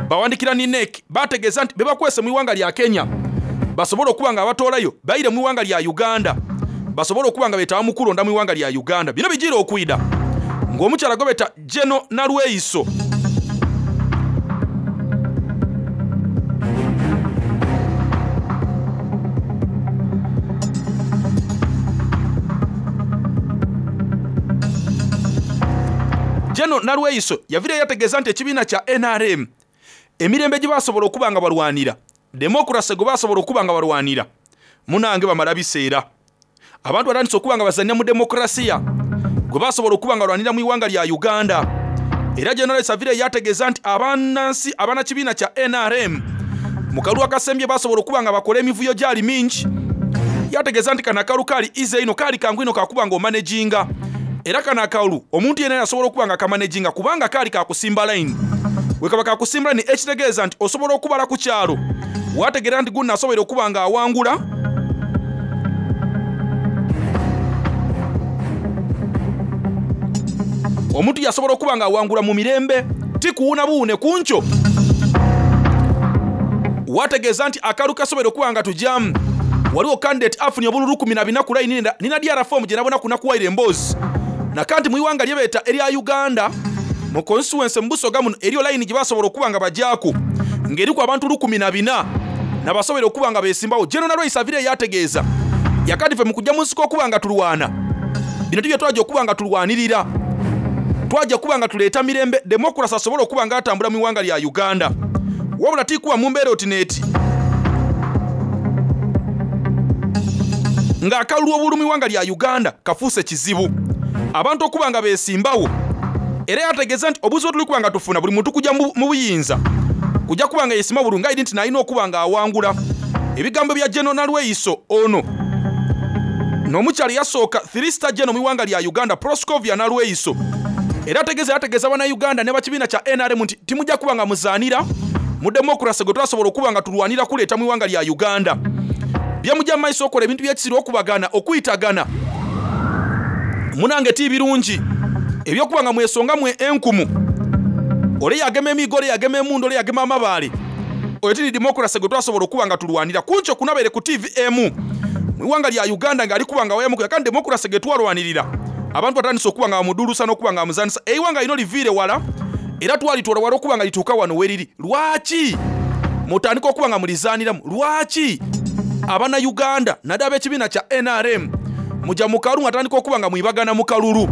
bawandikira ni NEC bategeeza nti bebakwese mu iwanga lya Kenya basobole okuba nga abatoolayo baire mu iwanga lya Uganda basobole okuba nga betaba mu kulonda mu iwanga lya Uganda. Bino bijiira okwida ng'omukyala gwebeta Geno Nalweyiso Geno Nalweyiso yavireyo yategeeza nti ekibiina kya nrm emirembe gye basobola okuba nga balwanira, demokurase gwe basobola okuba nga balwanira, munange bamala biseera. Abantu batandise okuba nga bazannya mu demokurasiya gwe basobola okuba nga balwanira mu iwanga lya Uganda. Era General Savire yategeeza nti abannansi abanakibiina kya nrm mu kalulu akasembye basobola okuba nga bakola emivuyo gyali mingi. Yategeeza nti kano akalulu kaali ize ino, kaali kangu ino kakuba nga omanejinga. Era kano akalulu omuntu yenna yasobola okuba nga kamanejinga kubanga kaali kakusimba line. Bwe kaba kakusimba line ekitegeeza nti osobola okubala ku kyalo wategeera nti guno asobola okuba nga awangula. Omuntu yasobola okuba nga awangula mu mirembe ti kuwuna buwune ku nkyo. Wategeeza nti akalulu kasobola okuba nga tujamu. Waliwo candidate afunye obululu 14 ku line nina DR form gye nabona kunakuwaire emboozi. Nakanti mu iwanga lye beeta erya Uganda mu constituency mu Busoga muno eriyo line gye basobola okuba nga bajaaku ng'eriku abantu 14 nabasobola okuba nga beesimbawo. General Nalweyiso avire yategeeza yakati ffe mu kujja mu nsiko okuba nga tulwana bino tibye twajja okuba nga tulwanirira, twajja kuba nga tuleeta mirembe demokurasi asobole okuba nga atambula mu iwanga lya Uganda. Wabula tikuba mu mbeera oti n'eti ng'akalulu obululu mu iwanga lya Uganda kafuuse kizibu abantu okuba nga beesimbawo. Era yategeeza nti obuzibu tuli kuba nga tufuna buli muntu kujja mu buyinza kujja kuba nga yeesima bulungi aidi nti nalina okuba nga awangula. Ebigambo bya General Nalweyiso ono n'omukyala yasooka 3 star general mu iwanga lya Uganda Proscovia Nalweyiso era ategeeza bannayuganda ne bakibiina kya NRM nti timujja kuba nga muzaanira mu demokurasi gwe twasobola okuba nga tulwanira kuleeta mu iwanga lya Uganda. Bye mujja mu maiso okola ebintu by'ekisiru okubagana okuyitagana munange ti birungi ebyokuba nga mwesonga mwe enkumu ole yagema emigo ole yagema emundu ole yagema amabaale oyo tiri demokurasi gwe twasobola okuba nga tulwanira. Kunkyo kunabeere ku TV emu mu iwanga lya Uganda ng'ali kuba nga wayamuku yakandi demokurasi gwe twalwanirira abantu batandise okuba nga bamudulusa n'okuba nga bamuzanisa. Eiwanga lino liviire wala era twalitwala wala okuba nga lituuka wano weriri. Lwaki mutandika okuba nga mulizaaniramu? Lwaki abannayuganda naddala ab'ekibiina kya NRM mujja mu kalulu mwatandika okuba nga mwibagana mu kalulu?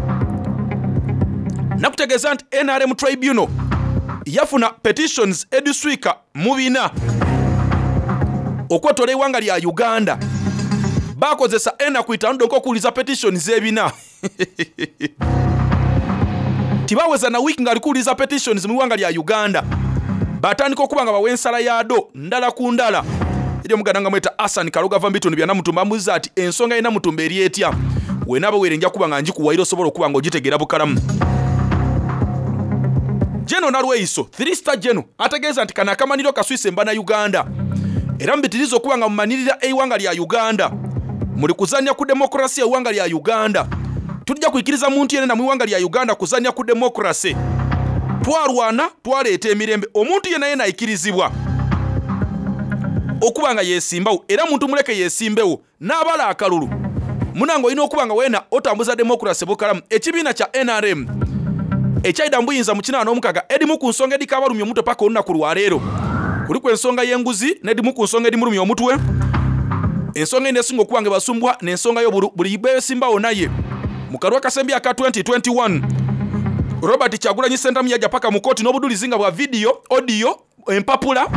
Nakutegeeza nti NRM Tribunal yafuna petitions ediswika mu bina okwetola eiwanga lya Uganda. Bakozesa enaku itaano donka okuwuliza petitions ebina. Tibaweza na wiiki ng'ali kuwuliza petitions mu iwanga lya Uganda. Batandika okuba nga bawa ensala yaado ndala ku ndala. Eri omuganda nga mweta Hassan Kaloga ava mu bitundu bya Namutumba amubuuza ati ensonga ye Namutumba eri etya? Wenaaba weere nja kuba nga ngikuwaira osobola okuba nga ogitegeera bukalamu. General Nalweyiso 3 star general ategeeza nti kano akamaniro kaswise mbana Uganda era mubitiriza okuba nga mumanirira eiwanga lya Uganda muli kuzannya ku demokurasiya eiwanga lya Uganda. Tujja kwikiriza muntu yenna mu iwanga lya Uganda kuzannya ku demokurasi. Twarwana twaleeta emirembe omuntu yenna yenna ayikirizibwa okuba nga yeesimbawo era muntu muleke yeesimbewo n'abala akalulu. Munange olina okuba nga weena otambuza demokurasi bukalamu. Ekibiina kya NRM ekyayida mu buyinza mu 86 edimu ku nsonga edikabalumya omutwe paka olunaku lwaleero. Kuliku ensonga y'enguzi n'edimu ku nsonga edimulumya omutwe. Ensonga eno esinga okuba nga ebasumbwa n'ensonga y'obulu buli beesimbawo naye. Mu kalulu akasembye aka 2021 Robert Kyagulanyi Ssentamu yajja paka mu kkooti n'obudulizi nga bwa vidiyo, audio, empapula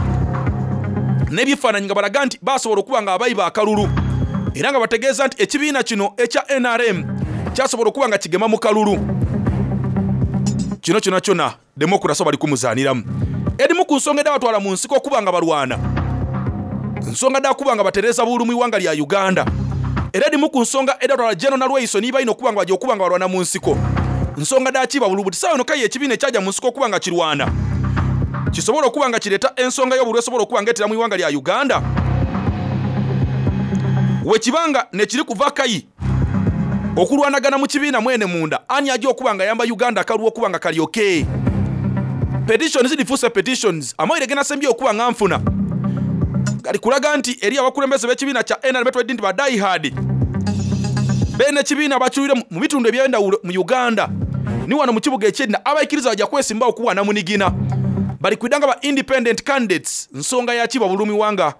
n'ebifaananyi nga balaga nti basobola okuba nga abayiba akalulu era nga bategeeza nti ekibiina kino ekya NRM kyasobola okuba nga kigema mu kalulu. Kino kyona kyona demokurasi bali kumuzaaniramu. Edimu ku nsonga edabatwala mu nsiko okuba nga balwana nsonga dda kuba nga batereeza bululu mu iwanga lya Uganda. Era edhimu ku nsonga edhatwala General Nalweyiso ni baine okuba nga baja okuba nga balwana mu nsiko nsonga dha kiba bulubu. Buti sawa eno k'aye ekibiina ekyaja mu nsiko okuba nga kirwana kisobola okuba nga kireeta ensonga y'obululu esobola okuba nga etera mu ighanga lya Uganda wekiba nga nekiri kuva kayi okulwanagana mu kibiina mwene munda ani aja okuba nga ayamba Uganda akalulu okuba nga kali okay. Petitions dhifuuse petitions. Amawulire genasembyeyo okuba nga nfuna gali kulaga nti eriyo abakulembeze b'ekibiina kya nrm betweddi nti ba die hard beene ekibiina bakyuire mu bitundu eby'endawulo mu Uganda ni wano mu kibuga eky'Edina abaikiriza baja kwesimbawo ku bwanamunigina bali kwidha nga ba independent candidates nsonga ya kiba bululu mu ighanga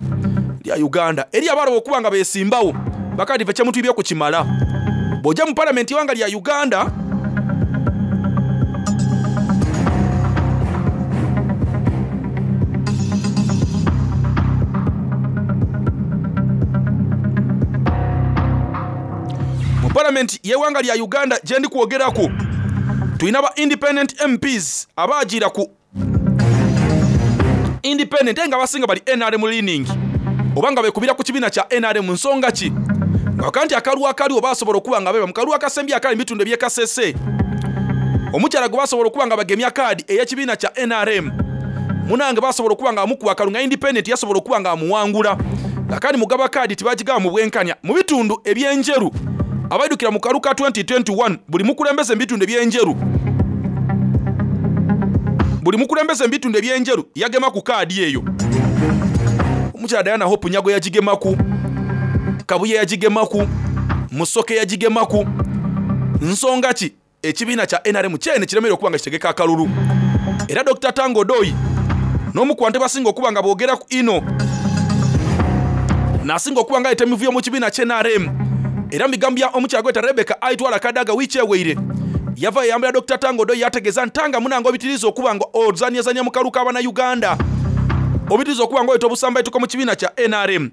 lya Uganda. Eriyo abaloba okuba nga besimbawo bakati ife kyemutwibye ku kimala. Bw'oja mu palamenti y'ighanga lya Uganda mu palamenti y'eighanga lya Uganda gyendi kwogeraku tulina ba independent MPs abaajiira ku independent aye nga abasinga bali NRM leaning oba nga bekubira ku kibiina kya NRM. Nsonga ki? Nga nti akalulu akaliwo basobola okuba nga beba mu kalulu akasembye akali mu bitundu eby'e Kasese, omukyala gwe basobola okuba nga bagemya kaadi ey'ekibiina kya NRM munange basobola okuba nga bamukuba akalulu nga independent yasobola okuba nga amuwangula, nga kandi mugaba kaadi tibagigaba mu bwenkanya. Mu bitundu eby'enjeru abaidukira mu kalulu ka 2021 buli mukulembeze mu bitundu eby'enjeru buli mukulembeze mu bitundu eby'enjeru yagema ku kaadi eyo. Omukyala Diana Hope Nyago yagigemaku, Kabuye yagigemaku, Musoke yagigemaku. Nsonga ki? Ekibiina kya NRM kyene kiremeire okuba nga kitegeka akalulu. Era Dokita Tanga Odoi n'omu ku bantu abasinga okuba nga boogeraku inho n'asinga okuba nga aleeta emivuyo mu kibiina kya NRM. Era mu bigambo bya omukyala gweta Rebecca Aitwala Kadaga wiiki eweire yava yayambira Dokita Tanga Odoi yategeeza nti Tanga munange obitiriza okuba nga ozanyazanya mu kalulu k'Abannayuganda, obitiriza okuba nga oleeta obusambaituko mu kibiina kya NRM.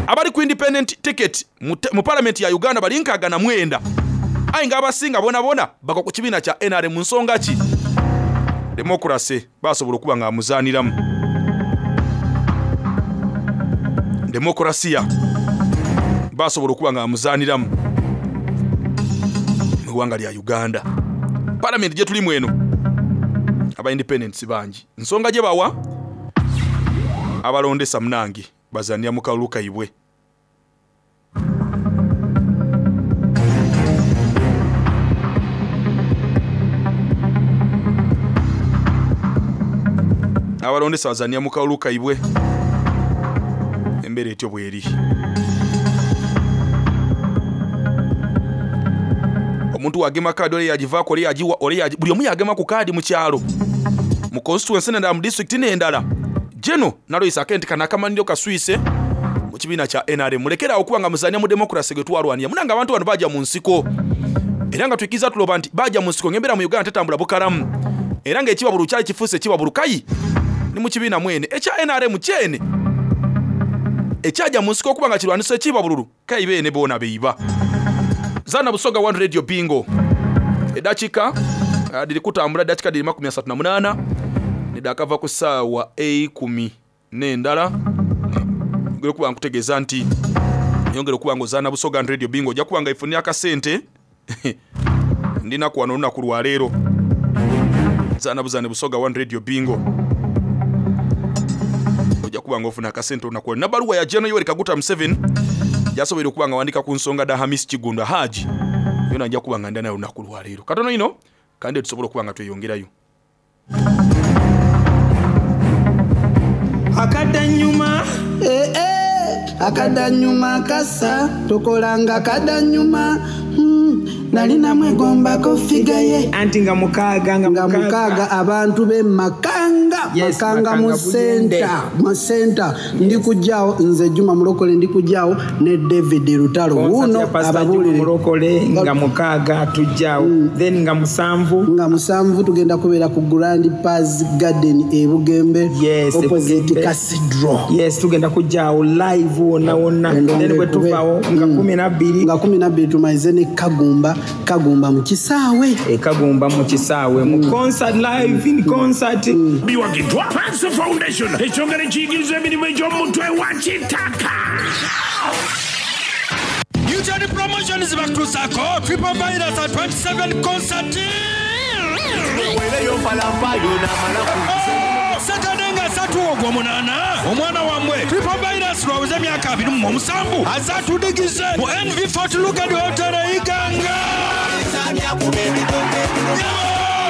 Abali ku independent ticket mu palamenti ya Uganda bali 69, aye nga abasinga bonabona bagwa ku kibiina kya NRM. Nsonga ki? Democracy basobola okuba nga amuzaaniramu. Demokrasiya basobola okuba nga amuzaaniramu mu ggwanga lya Uganda. Palamenti gye tulimu eno aba independents bangi. Nsonga gye bawa abalondesa munange bazanira mu kalulu kaibwe. Abalondesa bazanira mu kalulu kaibwe. Embeera etyo bweri. Omuntu wagema kaadi ole yagivaako ole yagiwa ole yagi buli omu yagema ku kaadi mu kyalo mu constituency n'endala mu disitulikiti n'endala. Geno Nalweyiso akenti kano akamanhiro kaswise mu kibiina kya NRM. Mulekere awo okuba nga muzania mu democracy gwe twalwanira. Munange abantu bano baaja mu nsiko era nga twikiriza tuloba nti baaja mu nsiko ng'embeera mu Uganda tetambula bukalamu era ng'ekibabulu kyali kifuuse ekibabulu kayi ni mu kibiina mwene ekya NRM kyene ekyaja mu nsiko okuba nga kirwanisa ekibabululu kayi beene boona beiba. Zana Busoga One Radio Bingo. Edakika dhiri kutambula dakika dhiri 38 nidakava ku saawa eikumi n'endala. Ngera okuba nkutegeeza nti yongera okuba nga ozaana Busoga Radio Bingo ojja kuba nga ifunira akasente. Ndinaku wano olunaku lwa leero. Zaana buzaane Busoga One Radio Bingo. Ojja kuba nga ofuna akasente olunaku lwa nabaluwa ya General Yoweri Kaguta Museveni gyasoboire okuba nga wandika ku nsonga dha Hamis Kiggundu Haji. Yona nja kuba nga nda nayo olunaku lwa leero. Katono ino kandi tusobola okuba nga tweyongerayo. Akadanyuma eh, eh, akadanyuma kasa tokolanga kadanyuma nali namwegombako figa ye anti nga mukaaga nga mukaaga abantu be Makanga. Yes, Makanga mu Makanga Buyende. center, mu center. Ndi kujjaawo nze Juma Mulokole, ndi kujjaawo ne David Lutalo. Concert Wuuno ya Pastor Juma ababuulire. Mulokole nga mukaaga tujjaawo. Then nga musanvu. Nga musanvu tugenda kubeera ku Grand Paz Garden e Bugembe. Yes, e opposite Bugembe. Cathedral. Yes, tugenda kujjaawo live wonna wonna. Endongo Then bwe ekube. tuvaawo nga 12. Nga 12 tumalize ne Kagumba, Kagumba mu kisaawe. E Kagumba mu kisaawe mu concert live in concert. Biwagiddwa Panso Foundation ekitongole ekiyigiriza emirimu egy'omutwe wa kitaka. Promotions bakutuusaako Triple Virus at 27 Concert. Saturday nga asatu Ogwomunaana, omwana wammwe Triple Virus lwaweza emyaka 27 aze atudigize mu NV Fort Lugard Hotel e Iganga.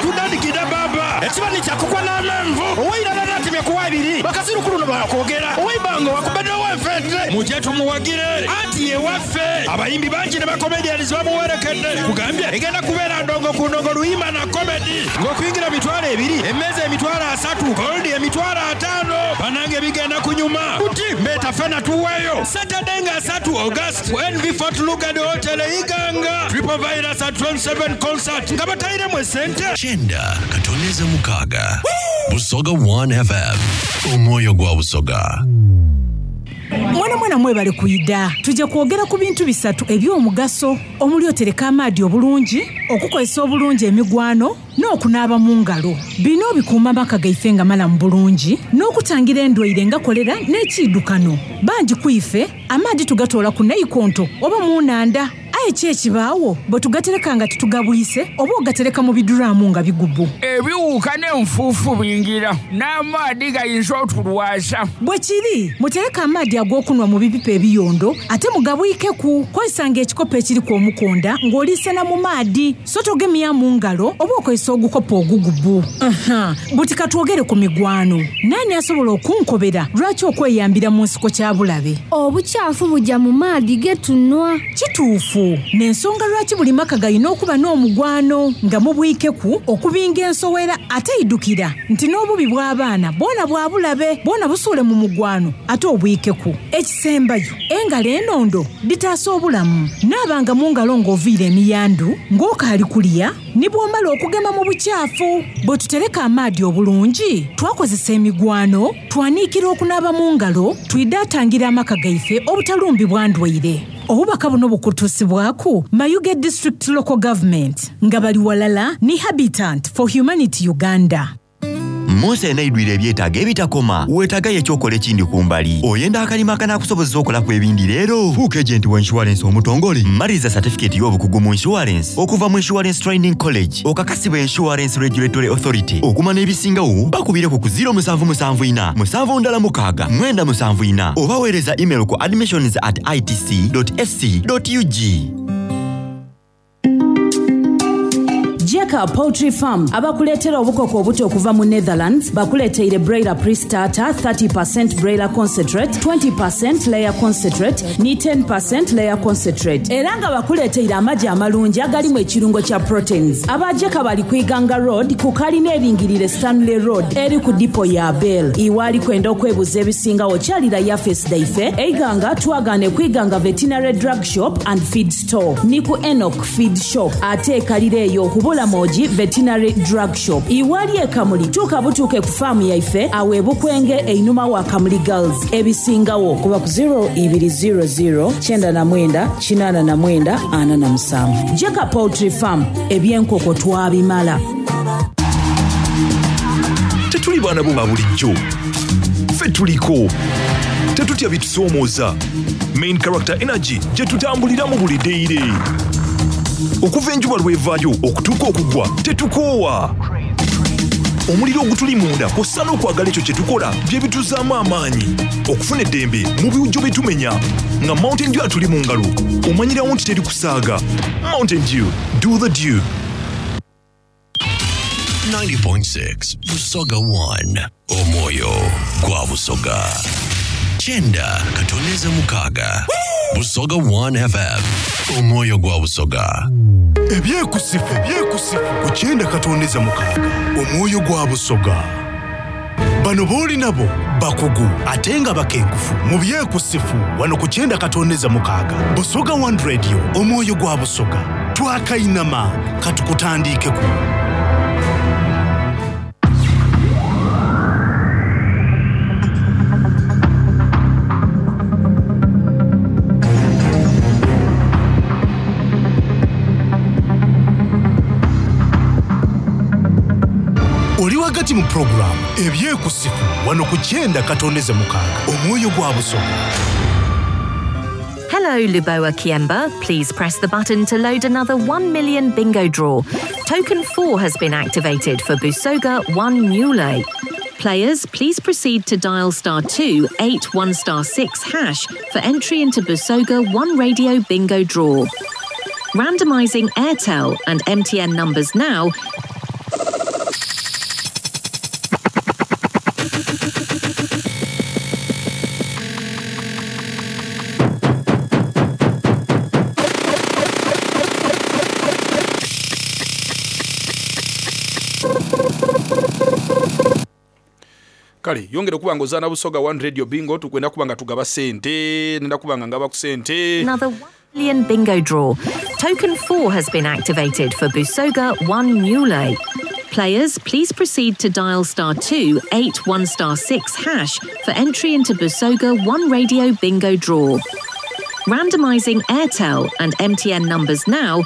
Tudandikidde baba ekibani kyakukwa n'amenvu owairala natemye kuwa ebiri bakasirukulu no bakwogera owaibango wakubedde owenfente mujje tumuwagire anti yewaffe abayimbi bangi ne bakomedians bamuwerekedde kugambye egenda kubeera ndongo ku ndongo luyimba na komedi ng'okuyingira 20,000 emmeeza 30,000 goldi 50,000 banange bigenda kunyuma buti mbeeta fena tuweeyo Saturday nga 3 August ku NV Fort Lugard Hotel e Iganga Triple Virus at 27 concert nga batayiremu esente Kyenda katoneza mukaaga. Busoga 1 FM. Omwoyo gwa Busoga. Mwana mwana mwebale kwida. Tujja kwogera ku bintu bisatu eby'omugaso omuli otereka amaadi obulungi, okukozesa obulungi emigwano n'okunaaba mu ngalo. Bino bikuuma amaka gaife nga malamu bulungi n'okutangira endwaire nga kolera n'ekiidukano. Bangi ku ife amaadi tugatoola ku naikonto oba mu nnhandha. Aye ki ekibaawo bwe tugatereka nga titugabwise oba ogatereka mu biduraamu nga bigubu? Ebiwuka n'enfuufu bingira n'amaadi gayinza otulwaza. Bwe kiri, mutereke amaadi ag'okunwa mu bipipa ebiyondo ate mugabwikeku. Kozesanga ekikopo ekiriku omukonda ng'oliisena mu maadi so togemya mu ngalo oba okozesa ogukopo ogugubu. Aha, buti katwogere ku migwano. Naani asobola okunkobera lwaki okweyambira mu nsiko kya bulabe? Obukyafu buja mu maadi ge tunwa. Kituufu. N'ensonga lwaki buli maka galina okuba n'omugwano nga mubwikeku okubinga ensowera ate idukira nti n'obubi bw'abaana bwona bwa bulabe bwona busuule mu mugwano ate obwikeku. Ekisembayo, engalo enondo dhitaasa obulamu. Naabanga mu ngalo ng'oviire emiyandu, ng'okaali kulya, ni bw'omala okugema mu bukyafu. Bwe tutereka amaadi obulungi, twakozesa emigwano, twaniikira okunaaba mu ngalo, twidaatangira amaka gaife obutalumbibwa ndwaire. Obubaka buno bukutuusibwaku Mayuge District Local Government nga bali walala ni Habitant for Humanity Uganda. Munsi eneidwire ebyetaago ebitakoma, weetaagayo ekyokola ekindi ku mbali. Oyenda akalimo akanaakusobozesa okolaku ebindi leero? Fuuka ejenti wa inshuwalensi omutongole. Maliriza satifikeeti y'obukugu mu inshuwalensi okuva mu Insurance Training College okakasibwa Insurance Regulatory Authority. Okumanya ebisingawo bakubireku ku 0774 716 974 oba weereza email ku admissions at itc.ac.ug. Jeka Poultry Farm abakuleetera obukoko obuto okuva mu Netherlands bakuleeteire broiler pre-starter, 30% broiler concentrate, 20% layer concentrate ni 10% layer concentrate era nga bakuleeteire amagi amalungi agalimu ekirungo kya proteins. Aba Jeka bali ku Iganga Road ku kalina eringirire Stanley Road eri ku dipo ya Bell. Iwe ali kwenda okwebuza ebisingawo kyalira yafesi dhaife e Iganga twagaane ku Iganga Veterinary Drug Shop and Feed Store ni ku Enoch Feed Shop ate ekalira eyo ku Bulamogi Veterinary Drug Shop. Iwe ali e Kamuli tuuka butuuke ku faamu yaife awo e Bukwenge einhuma wa Kamuli Girls. Ebisingawo kuba ku 0200 99 89 47. Jeka Poultry Farm, ebyenkoko twabimala. Tetuli baana bo ba bulijjo, ffe tuliko tetutya bitusoomooza. Main Character Energy gye tutambuliramu buli deire okuva enjuba lw'evaayo okutuuka okugwa tetukoowa. Omuliro ogutuli munda kw'ossa n'okwagala ekyo kye tukola bye bituzaamu amaanyi okufuna eddembe mu biwujjo bye tumenya nga Mountain Dew atuli mu ngalo omanyirawo nti teri kusaaga. Mountain Dew, do the dew. 90.6 Busoga 1 Omwoyo gwa Busoga. Kyenda katoneza mukaaga. Busoga 1 FM. Omwoyo gwa Busoga. Ebyekusifu ebyekusifu ku kyenda katondeza mukaaga omwoyo gwa Busoga. Bano b'oli nabo bakugu ate nga bakenkufu mu byekusifu wano ku kyenda katondeza mukaaga Busoga One Radio omwoyo gwa Busoga. Twakainama katukutandiikeku. Oli wagati mu pulogulaamu ebyekusifu wano ku kyenda katondeze mukaaga omwoyo gwa Busoga. Hello. Hello, Luboa Kiemba. Please press the button to load another 1 million bingo draw. Token 4 has been activated for Busoga 1 Mule. Players, please proceed to dial star 2 8 1 star 6 hash for entry into Busoga 1 Radio bingo draw. Randomizing Airtel and MTN numbers now. Kale yongera okuba nga ozaana Busoga One Radio Bingo. Tukwenda kuba nga tugaba sente, nenda kuba nga ngaba ku sente. Another 1 million bingo draw. Token 4 has been activated for Busoga 1 Mule. Players, please proceed to dial star 2 8 1 star 6 hash for entry into Busoga 1 Radio bingo draw. Randomizing Airtel and MTN numbers now.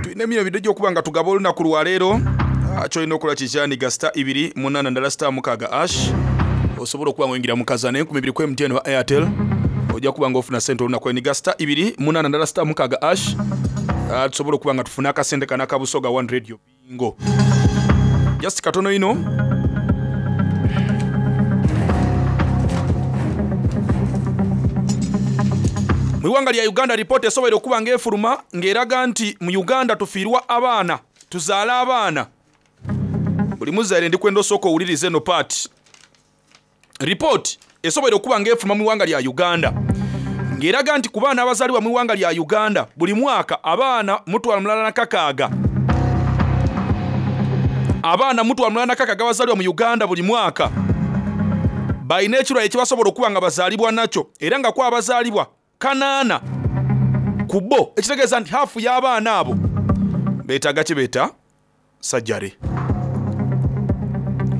Tulina emirimu ebiri egy'okuba nga tugaba olunaku lwaleero. Kyolina okukola kikyaniga star 2 8 ndala star 6 ash, osobola okuba nga oyingira mu kazana 2000 ku MTN oba Airtel, ojja kuba nga ofuna sente olunaku. Eniga star 2 8 ndala star 6 ash, tusobola okuba nga tufuna akasente kano aka Busoga One Radio Bingo. Just katono ino. Mu ggwanga lya Uganda, ripoota esobola okuba ng'efuluma ng'eraga nti mu Uganda tufiirwa abaana, tuzaala abaana. Buli muzaire ndikwenda osooka owulirize eno part. Ripooti esobola okuba ng'efuluma mu ggwanga lya Uganda ng'eraga nti ku baana abazaalibwa mu ggwanga lya Uganda buli mwaka abaana 160,000, abaana 160,000 abazaalibwa mu Uganda buli mwaka balina ekirwadde ekibasobola okuba nga bazaalibwa nakyo, era nga ku abazaalibwa 8 ku bo, ekitegeeza nti haafu y'abaana abo beetaaga kye beeta sajjare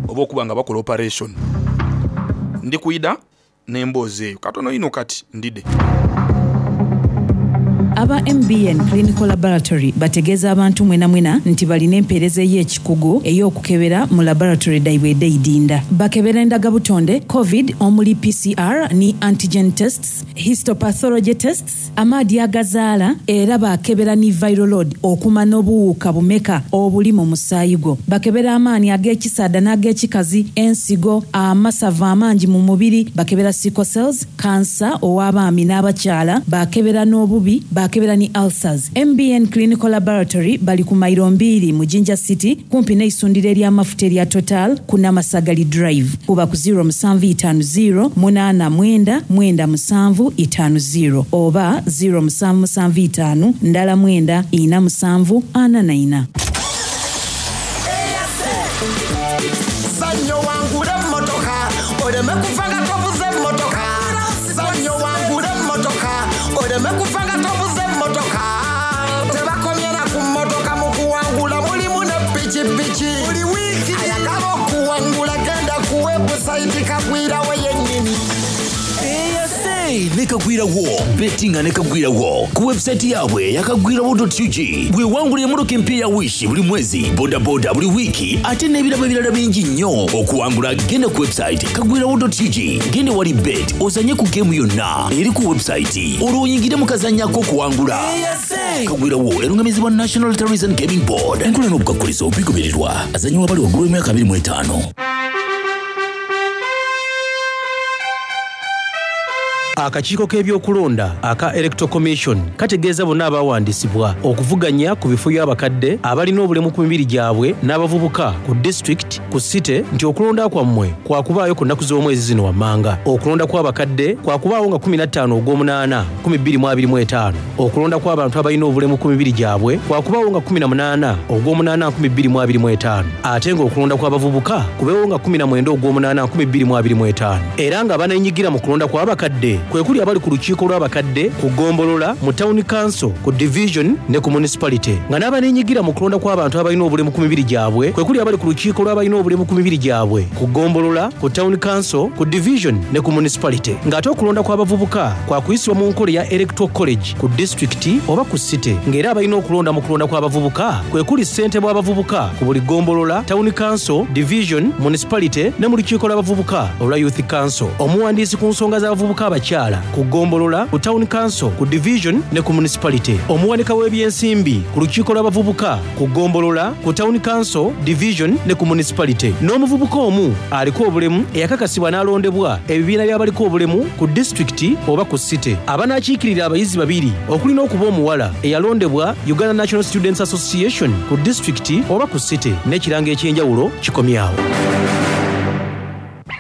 oba okuba nga bakola operation. Ndi kuyida n'emboozi eyo katono ino kati ndide. Aba MBN Clinical Laboratory bategeeza abantu mwena mwena nti balina empeereza ey'ekikugu ey'okukebera mu laboratory daibwe edeidinda. Bakebera endagabutonde COVID omuli PCR ni antigen tests, histopathology tests, amaadi agazaala, era bakebera ni viral load okuma n'obuwuka bumeka obuli mu musaayi gwo. Bakebera amaanyi ag'ekisaada n'ag'ekikazi, ensigo, amasavu amangi mu mubiri, bakebera sickle cells, kansa ow'abaami n'abakyala, bakebera n'obubi, bakebera ni ulcers. MBN Clinical Laboratory bali ku mayiro 2 mu Jinja City, kumpi n'eisundiro ery'amafuta erya Total ku Namasagali Drive. Kuba ku 0750 89 97 50 oba 0775 ndala 9 47 44. Sanyo wangule emmotoka oleme kufa nga tovuze emmotoka. Sanyo wangule emmotoka oleme kufa nga tovuze emmotoka. Tebakomye na ku mmotoka, mu kuwangula mulimu ne pikipiki. Buli wiiki ayagala okuwangula genda ku webusayiti Kagwirawo yennyini. Ne Kagwirawo bettinga ne Kagwirawo ku website yaabwe yakagwirawo.ug bwewangula emmotoka empya ya Wish buli mwezi, bodaboda buli wiiki, ate n'ebirabo ebirala bingi nnyo. Okuwangula genda ku website kagwirawo.ug, genda wali bet ozanye ku geemu yonna eri ku website, olwo oyingire mu kazanyo ak'okuwangula. Kagwirawo erungamizibwa National Lotteries and Gaming Board. Enkola n'obukakkulizo bigobererwa. Azanyibwa bali waggulu w'emyaka 25. Akakiiko k'ebyokulonda aka Electoral Commission kategeeza bonna abawandiisibwa okuvuganya ku bifo by'abakadde, abalina obulemu ku mibiri gyabwe n'abavubuka ku district ku site nti okulonda kwammwe kwakubaayo ku nnaku z'omwezi zino wammanga. Okulonda kw'abakadde kwakubaawo nga 15 ogw'omunaana 2025. Okulonda kw'abantu abalina obulemu ku mibiri gyabwe kwakubaawo nga 18 ogw'omunaana 2025, ate ng'okulonda kw'abavubuka kubeewo nga 19 ogw'omunaana 2025, era nga abaneenyigira mu kulonda kw'abakadde kwe kuli abali ku lukiiko lw'abakadde ku ggombolola, mu Town Council, ku Division ne ku Municipality nga n'abaneenyigira mu kulonda kw'abantu abalina obulemu ku mibiri gyabwe kwe kuli abali ku lukiiko lw'abalina obulemu ku mibiri gyabwe ku ggombolola, ku Town Council, ku Division ne ku Municipality nga ate okulonda kw'abavubuka kwa kuyisibwa mu nkola eya Electoral College ku Disitulikiti oba ku City nga era abalina okulonda mu kulonda kw'abavubuka kwe kuli ssentebe w'abavubuka ku buli ggombolola, Town Council, Division, Municipality ne mu lukiiko lw'abavubuka olwa Youth Council. Omuwandiisi ku nsonga z'abavubuka abakyala ku ggombolola, ku Town Council, ku Division ne ku Municipality. Omuwanika w'ebyensimbi ku lukiiko lw'abavubuka ku ggombolola, ku Town Council, Division ne ku Municipality. N'omuvubuka omu aliko obulemu eyakakasibwa n'alondebwa ebibiina by'abaliko obulemu ku disitulikiti oba ku City. Abanaakiikirira abayizi babiri okuli n'okuba omuwala eyalondebwa Uganda National Students Association ku disitulikiti oba ku City n'ekirango eky'enjawulo kikomye awo.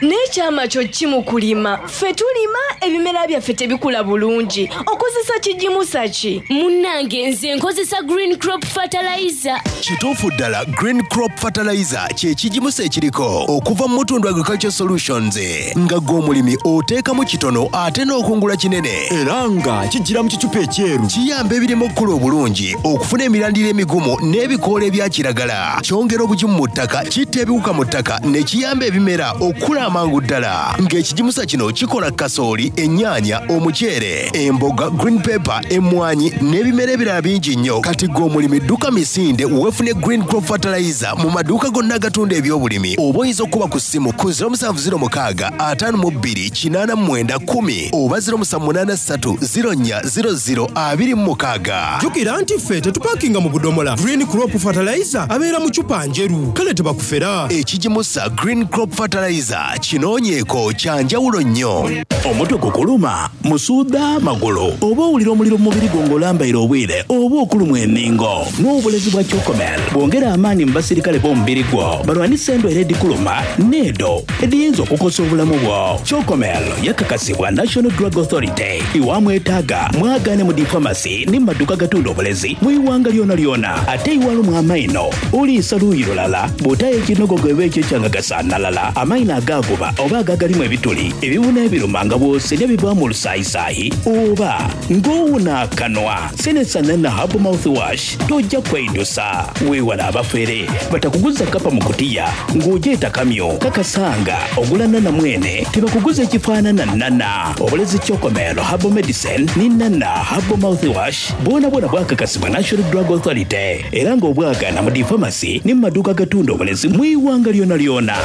N'ekyama kyo ki mu kulima? Ffe tulima ebimera byaffe tebikula bulungi. Okozesa kigimusa ki? Munnange nze nkozesa Green Crop Fertilizer. Kituufu ddala Green Crop Fertilizer kye kigimusa ekiriko okuva mu Mutundu Agriculture Solutions nga ggwe omulimi oteekamu kitono ate n'okungula kinene era nga kijjira mu kicupa ekyeru. Kiyamba ebirime okukula obulungi, okufuna emirandira emigumu n'ebikoola ebya kiragala. Kyongera obugimu mu ttaka, kitta ebiwuka mu ttaka ne kiyamba ebimera okukula amangu ddala. Ng'ekigimusa kino kikola kasooli, ennyaanya, omuceere, emboga, green pepper, emmwanyi n'ebimera ebirala bingi nnyo. Kati ggwe omulimi dduka misinde weefune Green Crop Fertilizer mu maduuka gonna agatunda ebyobulimi oba oyinza okukuba ku ssimu ku 0706 52 89 10 oba 0783 04 00 26. Jjukira nti ffe tetupakinga mu budomola. Green Crop Fertilizer abeera mu cupa njeru kale tebakufera. Ekigimusa Green Crop Fertilizer kinoonyeeko kya njawulo nnyo. Omutwe gukuluma, musuudha, magulu oba owulira omuliro mu mubiri gwo ng'olambaire obwire oba okulumwa enhingo? N'obulezi bwa Chocomel bwongera amaani mu basirikale b'omubiri gwo balwanise endwaire edhikuluma n'edho edhiyinza okukosa obulamu bwo. Chocomel yakakasibwa National Drug Authority. Iwamwetaaga mwagaane mu dhi famasi ni mu maduuka agatunda obulezi mu ighanga lyonalyona. Ate iwalumwa amaino, oliisa luuyi lulala, bw'otaayo ekinogogo eba ekyo ekyanga gasanhalala, amaino agaaguba oba agagalimu ebituli, ebibuna ebiruma nga bw'osenhya bivaamu olusaayisaayi oba ng'owuna akanwa. Senesa Nana Herbal Mouthwash tojja kweidusa. Weewale abafere batakuguza kapa mu kutiya ng'ogyeta kamyu. Kakasa nga ogula Nana mwene tibakuguza ekifaanana Nana. Obulezi Chocomel Herbal Medicine ni Nana Herbal Mouthwash bwonabwona bwakakasibwa National Drug Authority era nga obwagaana mu dhi famasi ni mu maduuka agatunda obulezi mu ighanga lyonalyona.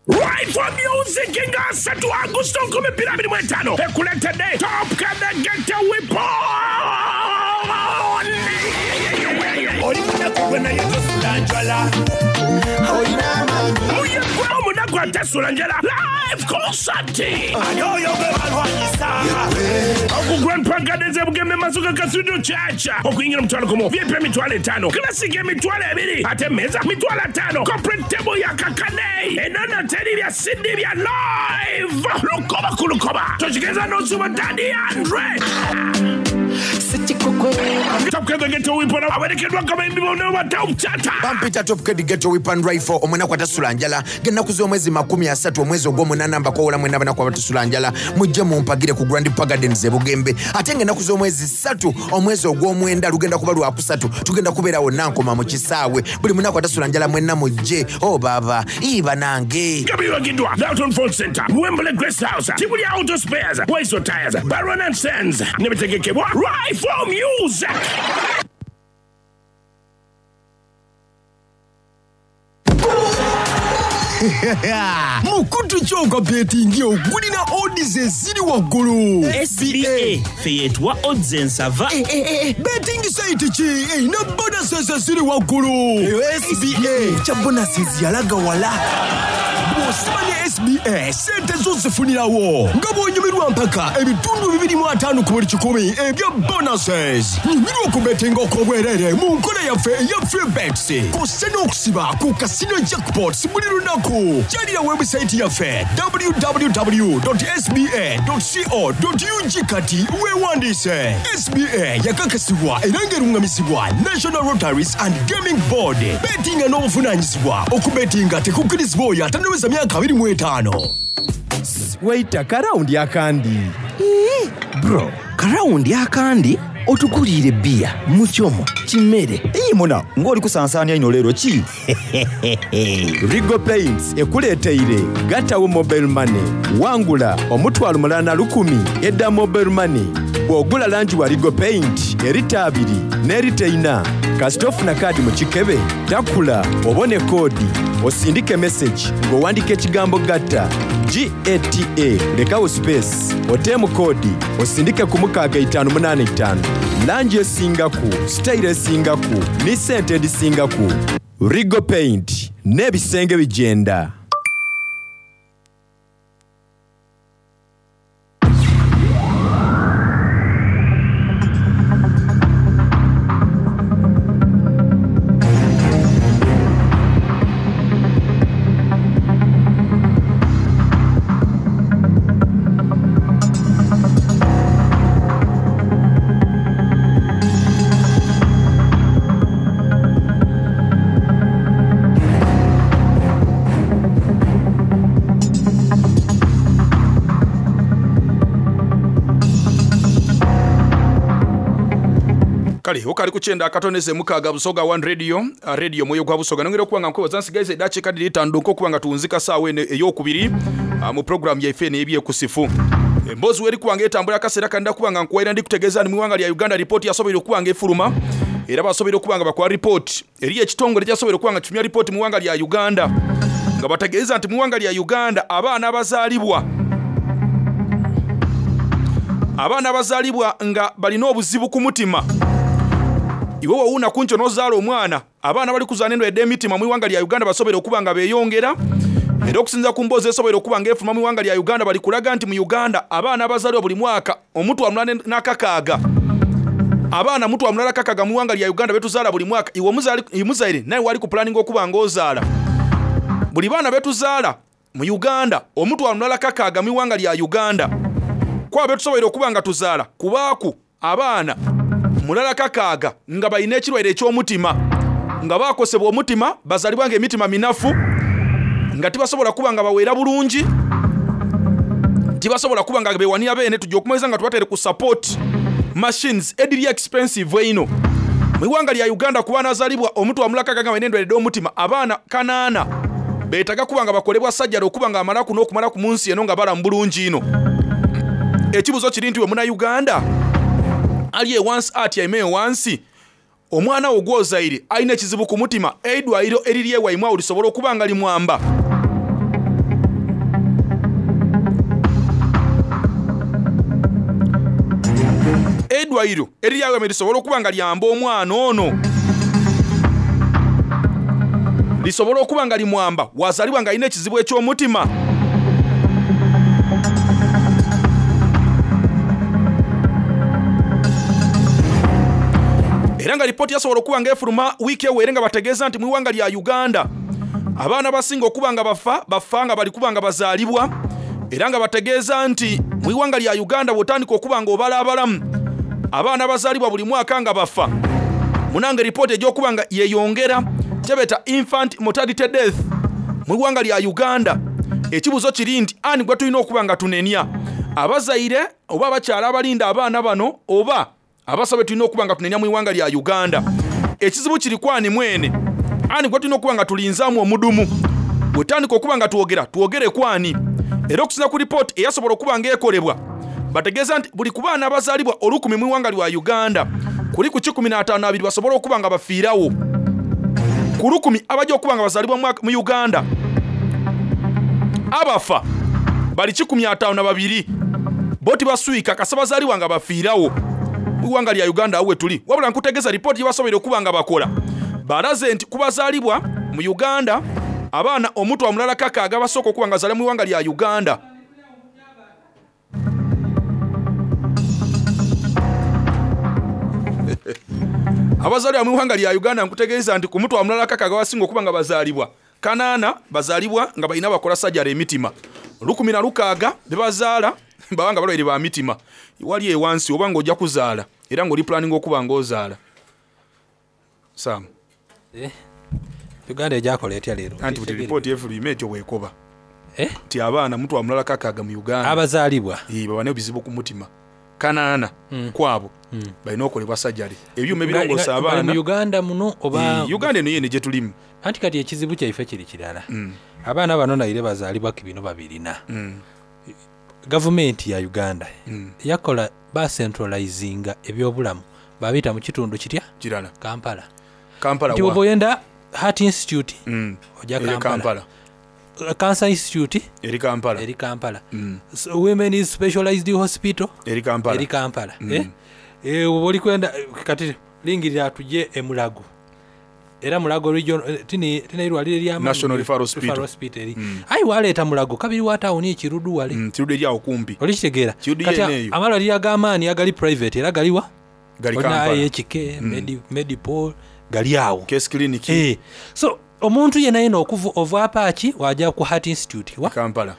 Right for Music nga asatu Agusto 2025 ekuleetedde Top Kadagete Weapon. Oli munaku gwe naye tosula njala. Muyegwe omunaku atasula njala live concert. Ani oyo gwe balwanyisa? Oku Grand Park Gardens e Bugembe Masuka Cathedral Church. Okuyingira omutwalo gumu, VIP emitwalo etaano, Classic emitwalo ebiri, ate emmeeza mitwalo ataano, corporate table ya kakade. Enono teri bya CD bya live. Lukoba ku lukoba. Tokigeza n'osuba Daddy Andre. Top Kid Ghetto Weapon awerekeddwa abayimbi bonna ba Top Chata. Bampita Top Kid Ghetto Weapon Rifle omunaku atasula njala ng'ennaku z'omwezi 30 omwezi ogw'omunaana mbakoowola mwenna abanaku abatasula njala mujje mumpagire ku Grand Park Gardens e Bugembe ate ng'ennaku z'omwezi ssatu omwezi ogw'omwenda lugenda kuba lwakusatu tugenda kubeera wonna nkoma mu kisaawe buli munaku atasula njala mwenna mujje o oh, baaba ii banange. Nga biwagiddwa Dalton Phone Center, Wembley Grace House, Tibuli Auto Spares, Waiso Tires, Baron and Sons ne bitegekebwa Rifle Music. Mukutu ki ogwa betingi ogulina odds eziri waggulu? SBA ffe yetuwa odds ensava. Eh, eh, eh, Betingi site ki erina bonuses eziri waggulu? Eyo SBA kya bonuses yalaga wala. Bw'osiba ne SBA sente zo zifunirawo nga bw'onyumirwa mpaka ebitundu 25 ku buli kikumi ebya bonuses. Nyumirwa okubetinga okw'obwereere mu nkola yaffe eya free bets. Kw'ossa n'okusiba ku Casino Jackpots buli lunaku. Kyalira webusayiti yaffe www.sba.co.ug kati weewandiise. SBA yakakasibwa era ng'erungamizibwa National Lotteries and Gaming Board. Betinga n'obuvunaanyizibwa. Okubetinga tekukkirizibwa oyo atannaweza myaka 25. Boss waita ka round akandi. Ii bro, ka round akandi? Otuguliire bbiya, muchomo, kimere. Ii muna, nga oli kusansaania inho leero ki? Regal Paints ekuleeteire Gatawo Mobile Money. Wangula omutwalo mulala na lukumi edha Mobile Money bw'ogula langi wa Regal Paint erita abiri n'erita eina. Kasita ofuna kaadi mu kikebe, takula obone koodi osindike mesegi ng'owandika ekigambo gatta, GATA, lekawo sipeesi, oteemu koodi osindike ku 6585. Langi esingaku, sitayiro esingaku ni sente edhisingaku. Regal Paint n'ebisenge bigyenda. Kale okali ku kyenda akatoneze mukaaga Busoga One Radio, ah, radio mwoyo gwa Busoga. Nongera okuba nga nkwebaza nsigaiza eddakiika dhiri itaanu dhonka okuba nga tuwunzika saawa eno eyokubiri ah, mu pulogulaamu yaife eno ey'ebyekusifu. Emboozi weri kuba nga etambula akaseera kano kuba nga nkuwaira ndi kutegeeza ni mu iwanga lya Uganda ripooti yasoboire okuba nga efuluma era basoboire okuba nga bakola ripooti eriyo ekitongole kyasoboire okuba nga kifulumya ripooti mu iwanga lya Uganda nga bategeeza nti mu iwanga lya Uganda abaana abazaalibwa abaana abazaalibwa nga balina obuzibu ku mutima iwe wowuuna ku nkyo n'ozaala omwana Abaana abali kuzaana endwaire dh'emitima mu ighanga lya Uganda basoboire okuba nga beyongera era okusinzira ku mboozi esoboire okuba nga efuluma mu ighanga lya Uganda bali kulaga nti mu Uganda abaana abazaalibwa buli mwaka omutwalo mulala n'akakaaga abaana mutwalo mulala kakaaga mu ighanga lya Uganda betuzaala buli mwaka iwe omuzaire naye wali ku pulaninga okuba nga ozaala buli baana betuzaala mu Uganda omutwalo mulala kakaaga mu ighanga lya Uganda kwabo betusoboire okuba nga tuzaala kubaaku Abaana mulala kakaaga nga balina ekirwaire eky'omutima, nga baakosebwa omutima, bazaalibwa nga emitima minafu, nga tibasobola kuba nga baweera bulungi, tibasobola kuba nga bewanira beene. Tuja okumaliza nga tubateere ku support machines edhiri expensive einho. Mu ighanga lya Uganda ku baana azaalibwa omutwalo mulala kakaaga nga balina endwaire edh'omutima, abaana kanaana beetaga kuba nga bakolebwa sajjale okuba nga bamalaku n'okumalaku mu nsi eno nga balamu bulungi inho. Ekibuzo kiri nti we muna Uganda ali ewansi atyaime ewansi, omwana wo gwozaire alina ekizibu ku mutima, eidwaliro eriri ewaimwe awo lisobola okuba nga limwamba? Eidwaliro eriri awaimwe lisobola okuba nga lyamba omwana ono? Lisobola okuba nga limwamba wazalibwa nga alina ekizibu eky'omutima? Era nga lipooti yasobola okuba nga efuluma wiiki eweere nga bategeeza nti mu iwanga lya Uganda abaana abasinga okuba nga bafa bafa nga bali kuba nga bazaalibwa era nga bategeeza nti mu iwanga lya Uganda bw'otandika okuba nga obala abalamu abaana abazaalibwa buli mwaka nga bafa munange ripooti egy'okuba nga yeyongera kyebeta infant mortality death mu iwanga lya Uganda. Ekibuzo kiri nti ani gwe tulina okuba nga tunenya, abazaire oba abakyala abalinda abaana bano oba abasawo betulina okuba nga tunenya mu iwanga lya Uganda? Ekizibu kiri kwani mwene, ani gwe tulina okuba nga tulinzaamu omudumu? Bwetandika okuba nga twogera twogere kwani? Era okusinza ku ripooti eyasobola okuba nga ekolebwa bategeeza nti buli ku baana abazaalibwa olukumi mu iwanga lwa Uganda kuli ku kikumi n'ataano abiri basobola okuba nga bafiirawo ku lukumi abajja okuba nga bazaalibwa mu Uganda abafa bali 52 bo tibaswika kasa bazaalibwa nga bafiirawo mu iwanga lya Uganda awo wetuli. Wabula nkutegeeza ripooti gye basoboire okuba nga bakola balaze nti ku bazaalibwa mu Uganda abaana omutwalo mulala kakaaga abasooka okuba nga bazaalibwa mu iwanga lya Uganda abazaalibwa mu iwanga lya Uganda nkutegeeza nti ku mutwalo mulala kakaaga abasinga okuba nga bazaalibwa kanaana bazaalibwa nga balina bakola sajara emitima 16 bebazaala baba nga balwaire ba mitima. Wali ewansi oba nga ojja kuzaala era nga oli pulaninga okuba nga ozaala. Sam. Eh, Uganda ejakola etya leero? Anti buti ripooti efulwime etyo bwekoba. Nti abaana mutwalo mulala kakaaga mu Uganda Abazaalibwa. Ii, baba n'ebizibu ku mutima. Kanaana kwabo balina okolebwa sajale. Ebyuma ebirongoosa Nga- nga bali abaana. mu Uganda muno oba Ii, Uganda eno yeene gyetulimu. Anti kati ekizibu kyaife kiri kirala. Abaana bano naire bazaalibwa ku bino babirina. Gavumenti ya Uganda yakola bacentralizinga ebyobulamu babita mu kitundu kitya? Kirala. Kampala. Kampala Nti wa? bw'oba oyenda Heart Institute ojja Eri Kampala. Kampala. Cancer Institute Eri Kampala. Eri Kampala. So, Women's Specialized Hospital Eri Kampala. Eri Kampala. Eh? Eh, oba oli kwenda kati lingirira tujje e Mulago. Era Mulago region eh, tini tina irwaliro erya National Referral Hospital. Hospital eri. Ayi waleeta Mulago kabiri wa tawuni ekirudu wale. Kirudu eri awo kumpi. Olikitegeera. Kirudu Kati yeene eyo. amalwaliro ag'amaanyi agali private era galiwa? Gali Olina Kampala. IHK, Medipol gali awo. Case Clinic. Eh. So omuntu yena yena okuva ova Apache wajja ku Heart Institute wa Kampala.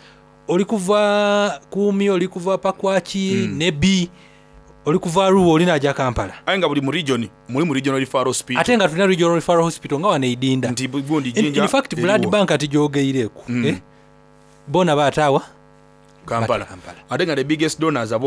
Oli kuva Kumi, oli kuva Pakwaki, Nebi, oli kuva Arua, oli najja Kampala. Aye nga buli mu region mulimu regional referral hospital. Ate nga tulina regional referral hospital nga wano e Idinda. Nti gundi In, Jinja in fact blood eriwo. bank ati gyogeireku. Eh? Bona baataawa Kampala. Ate nga the biggest donors abo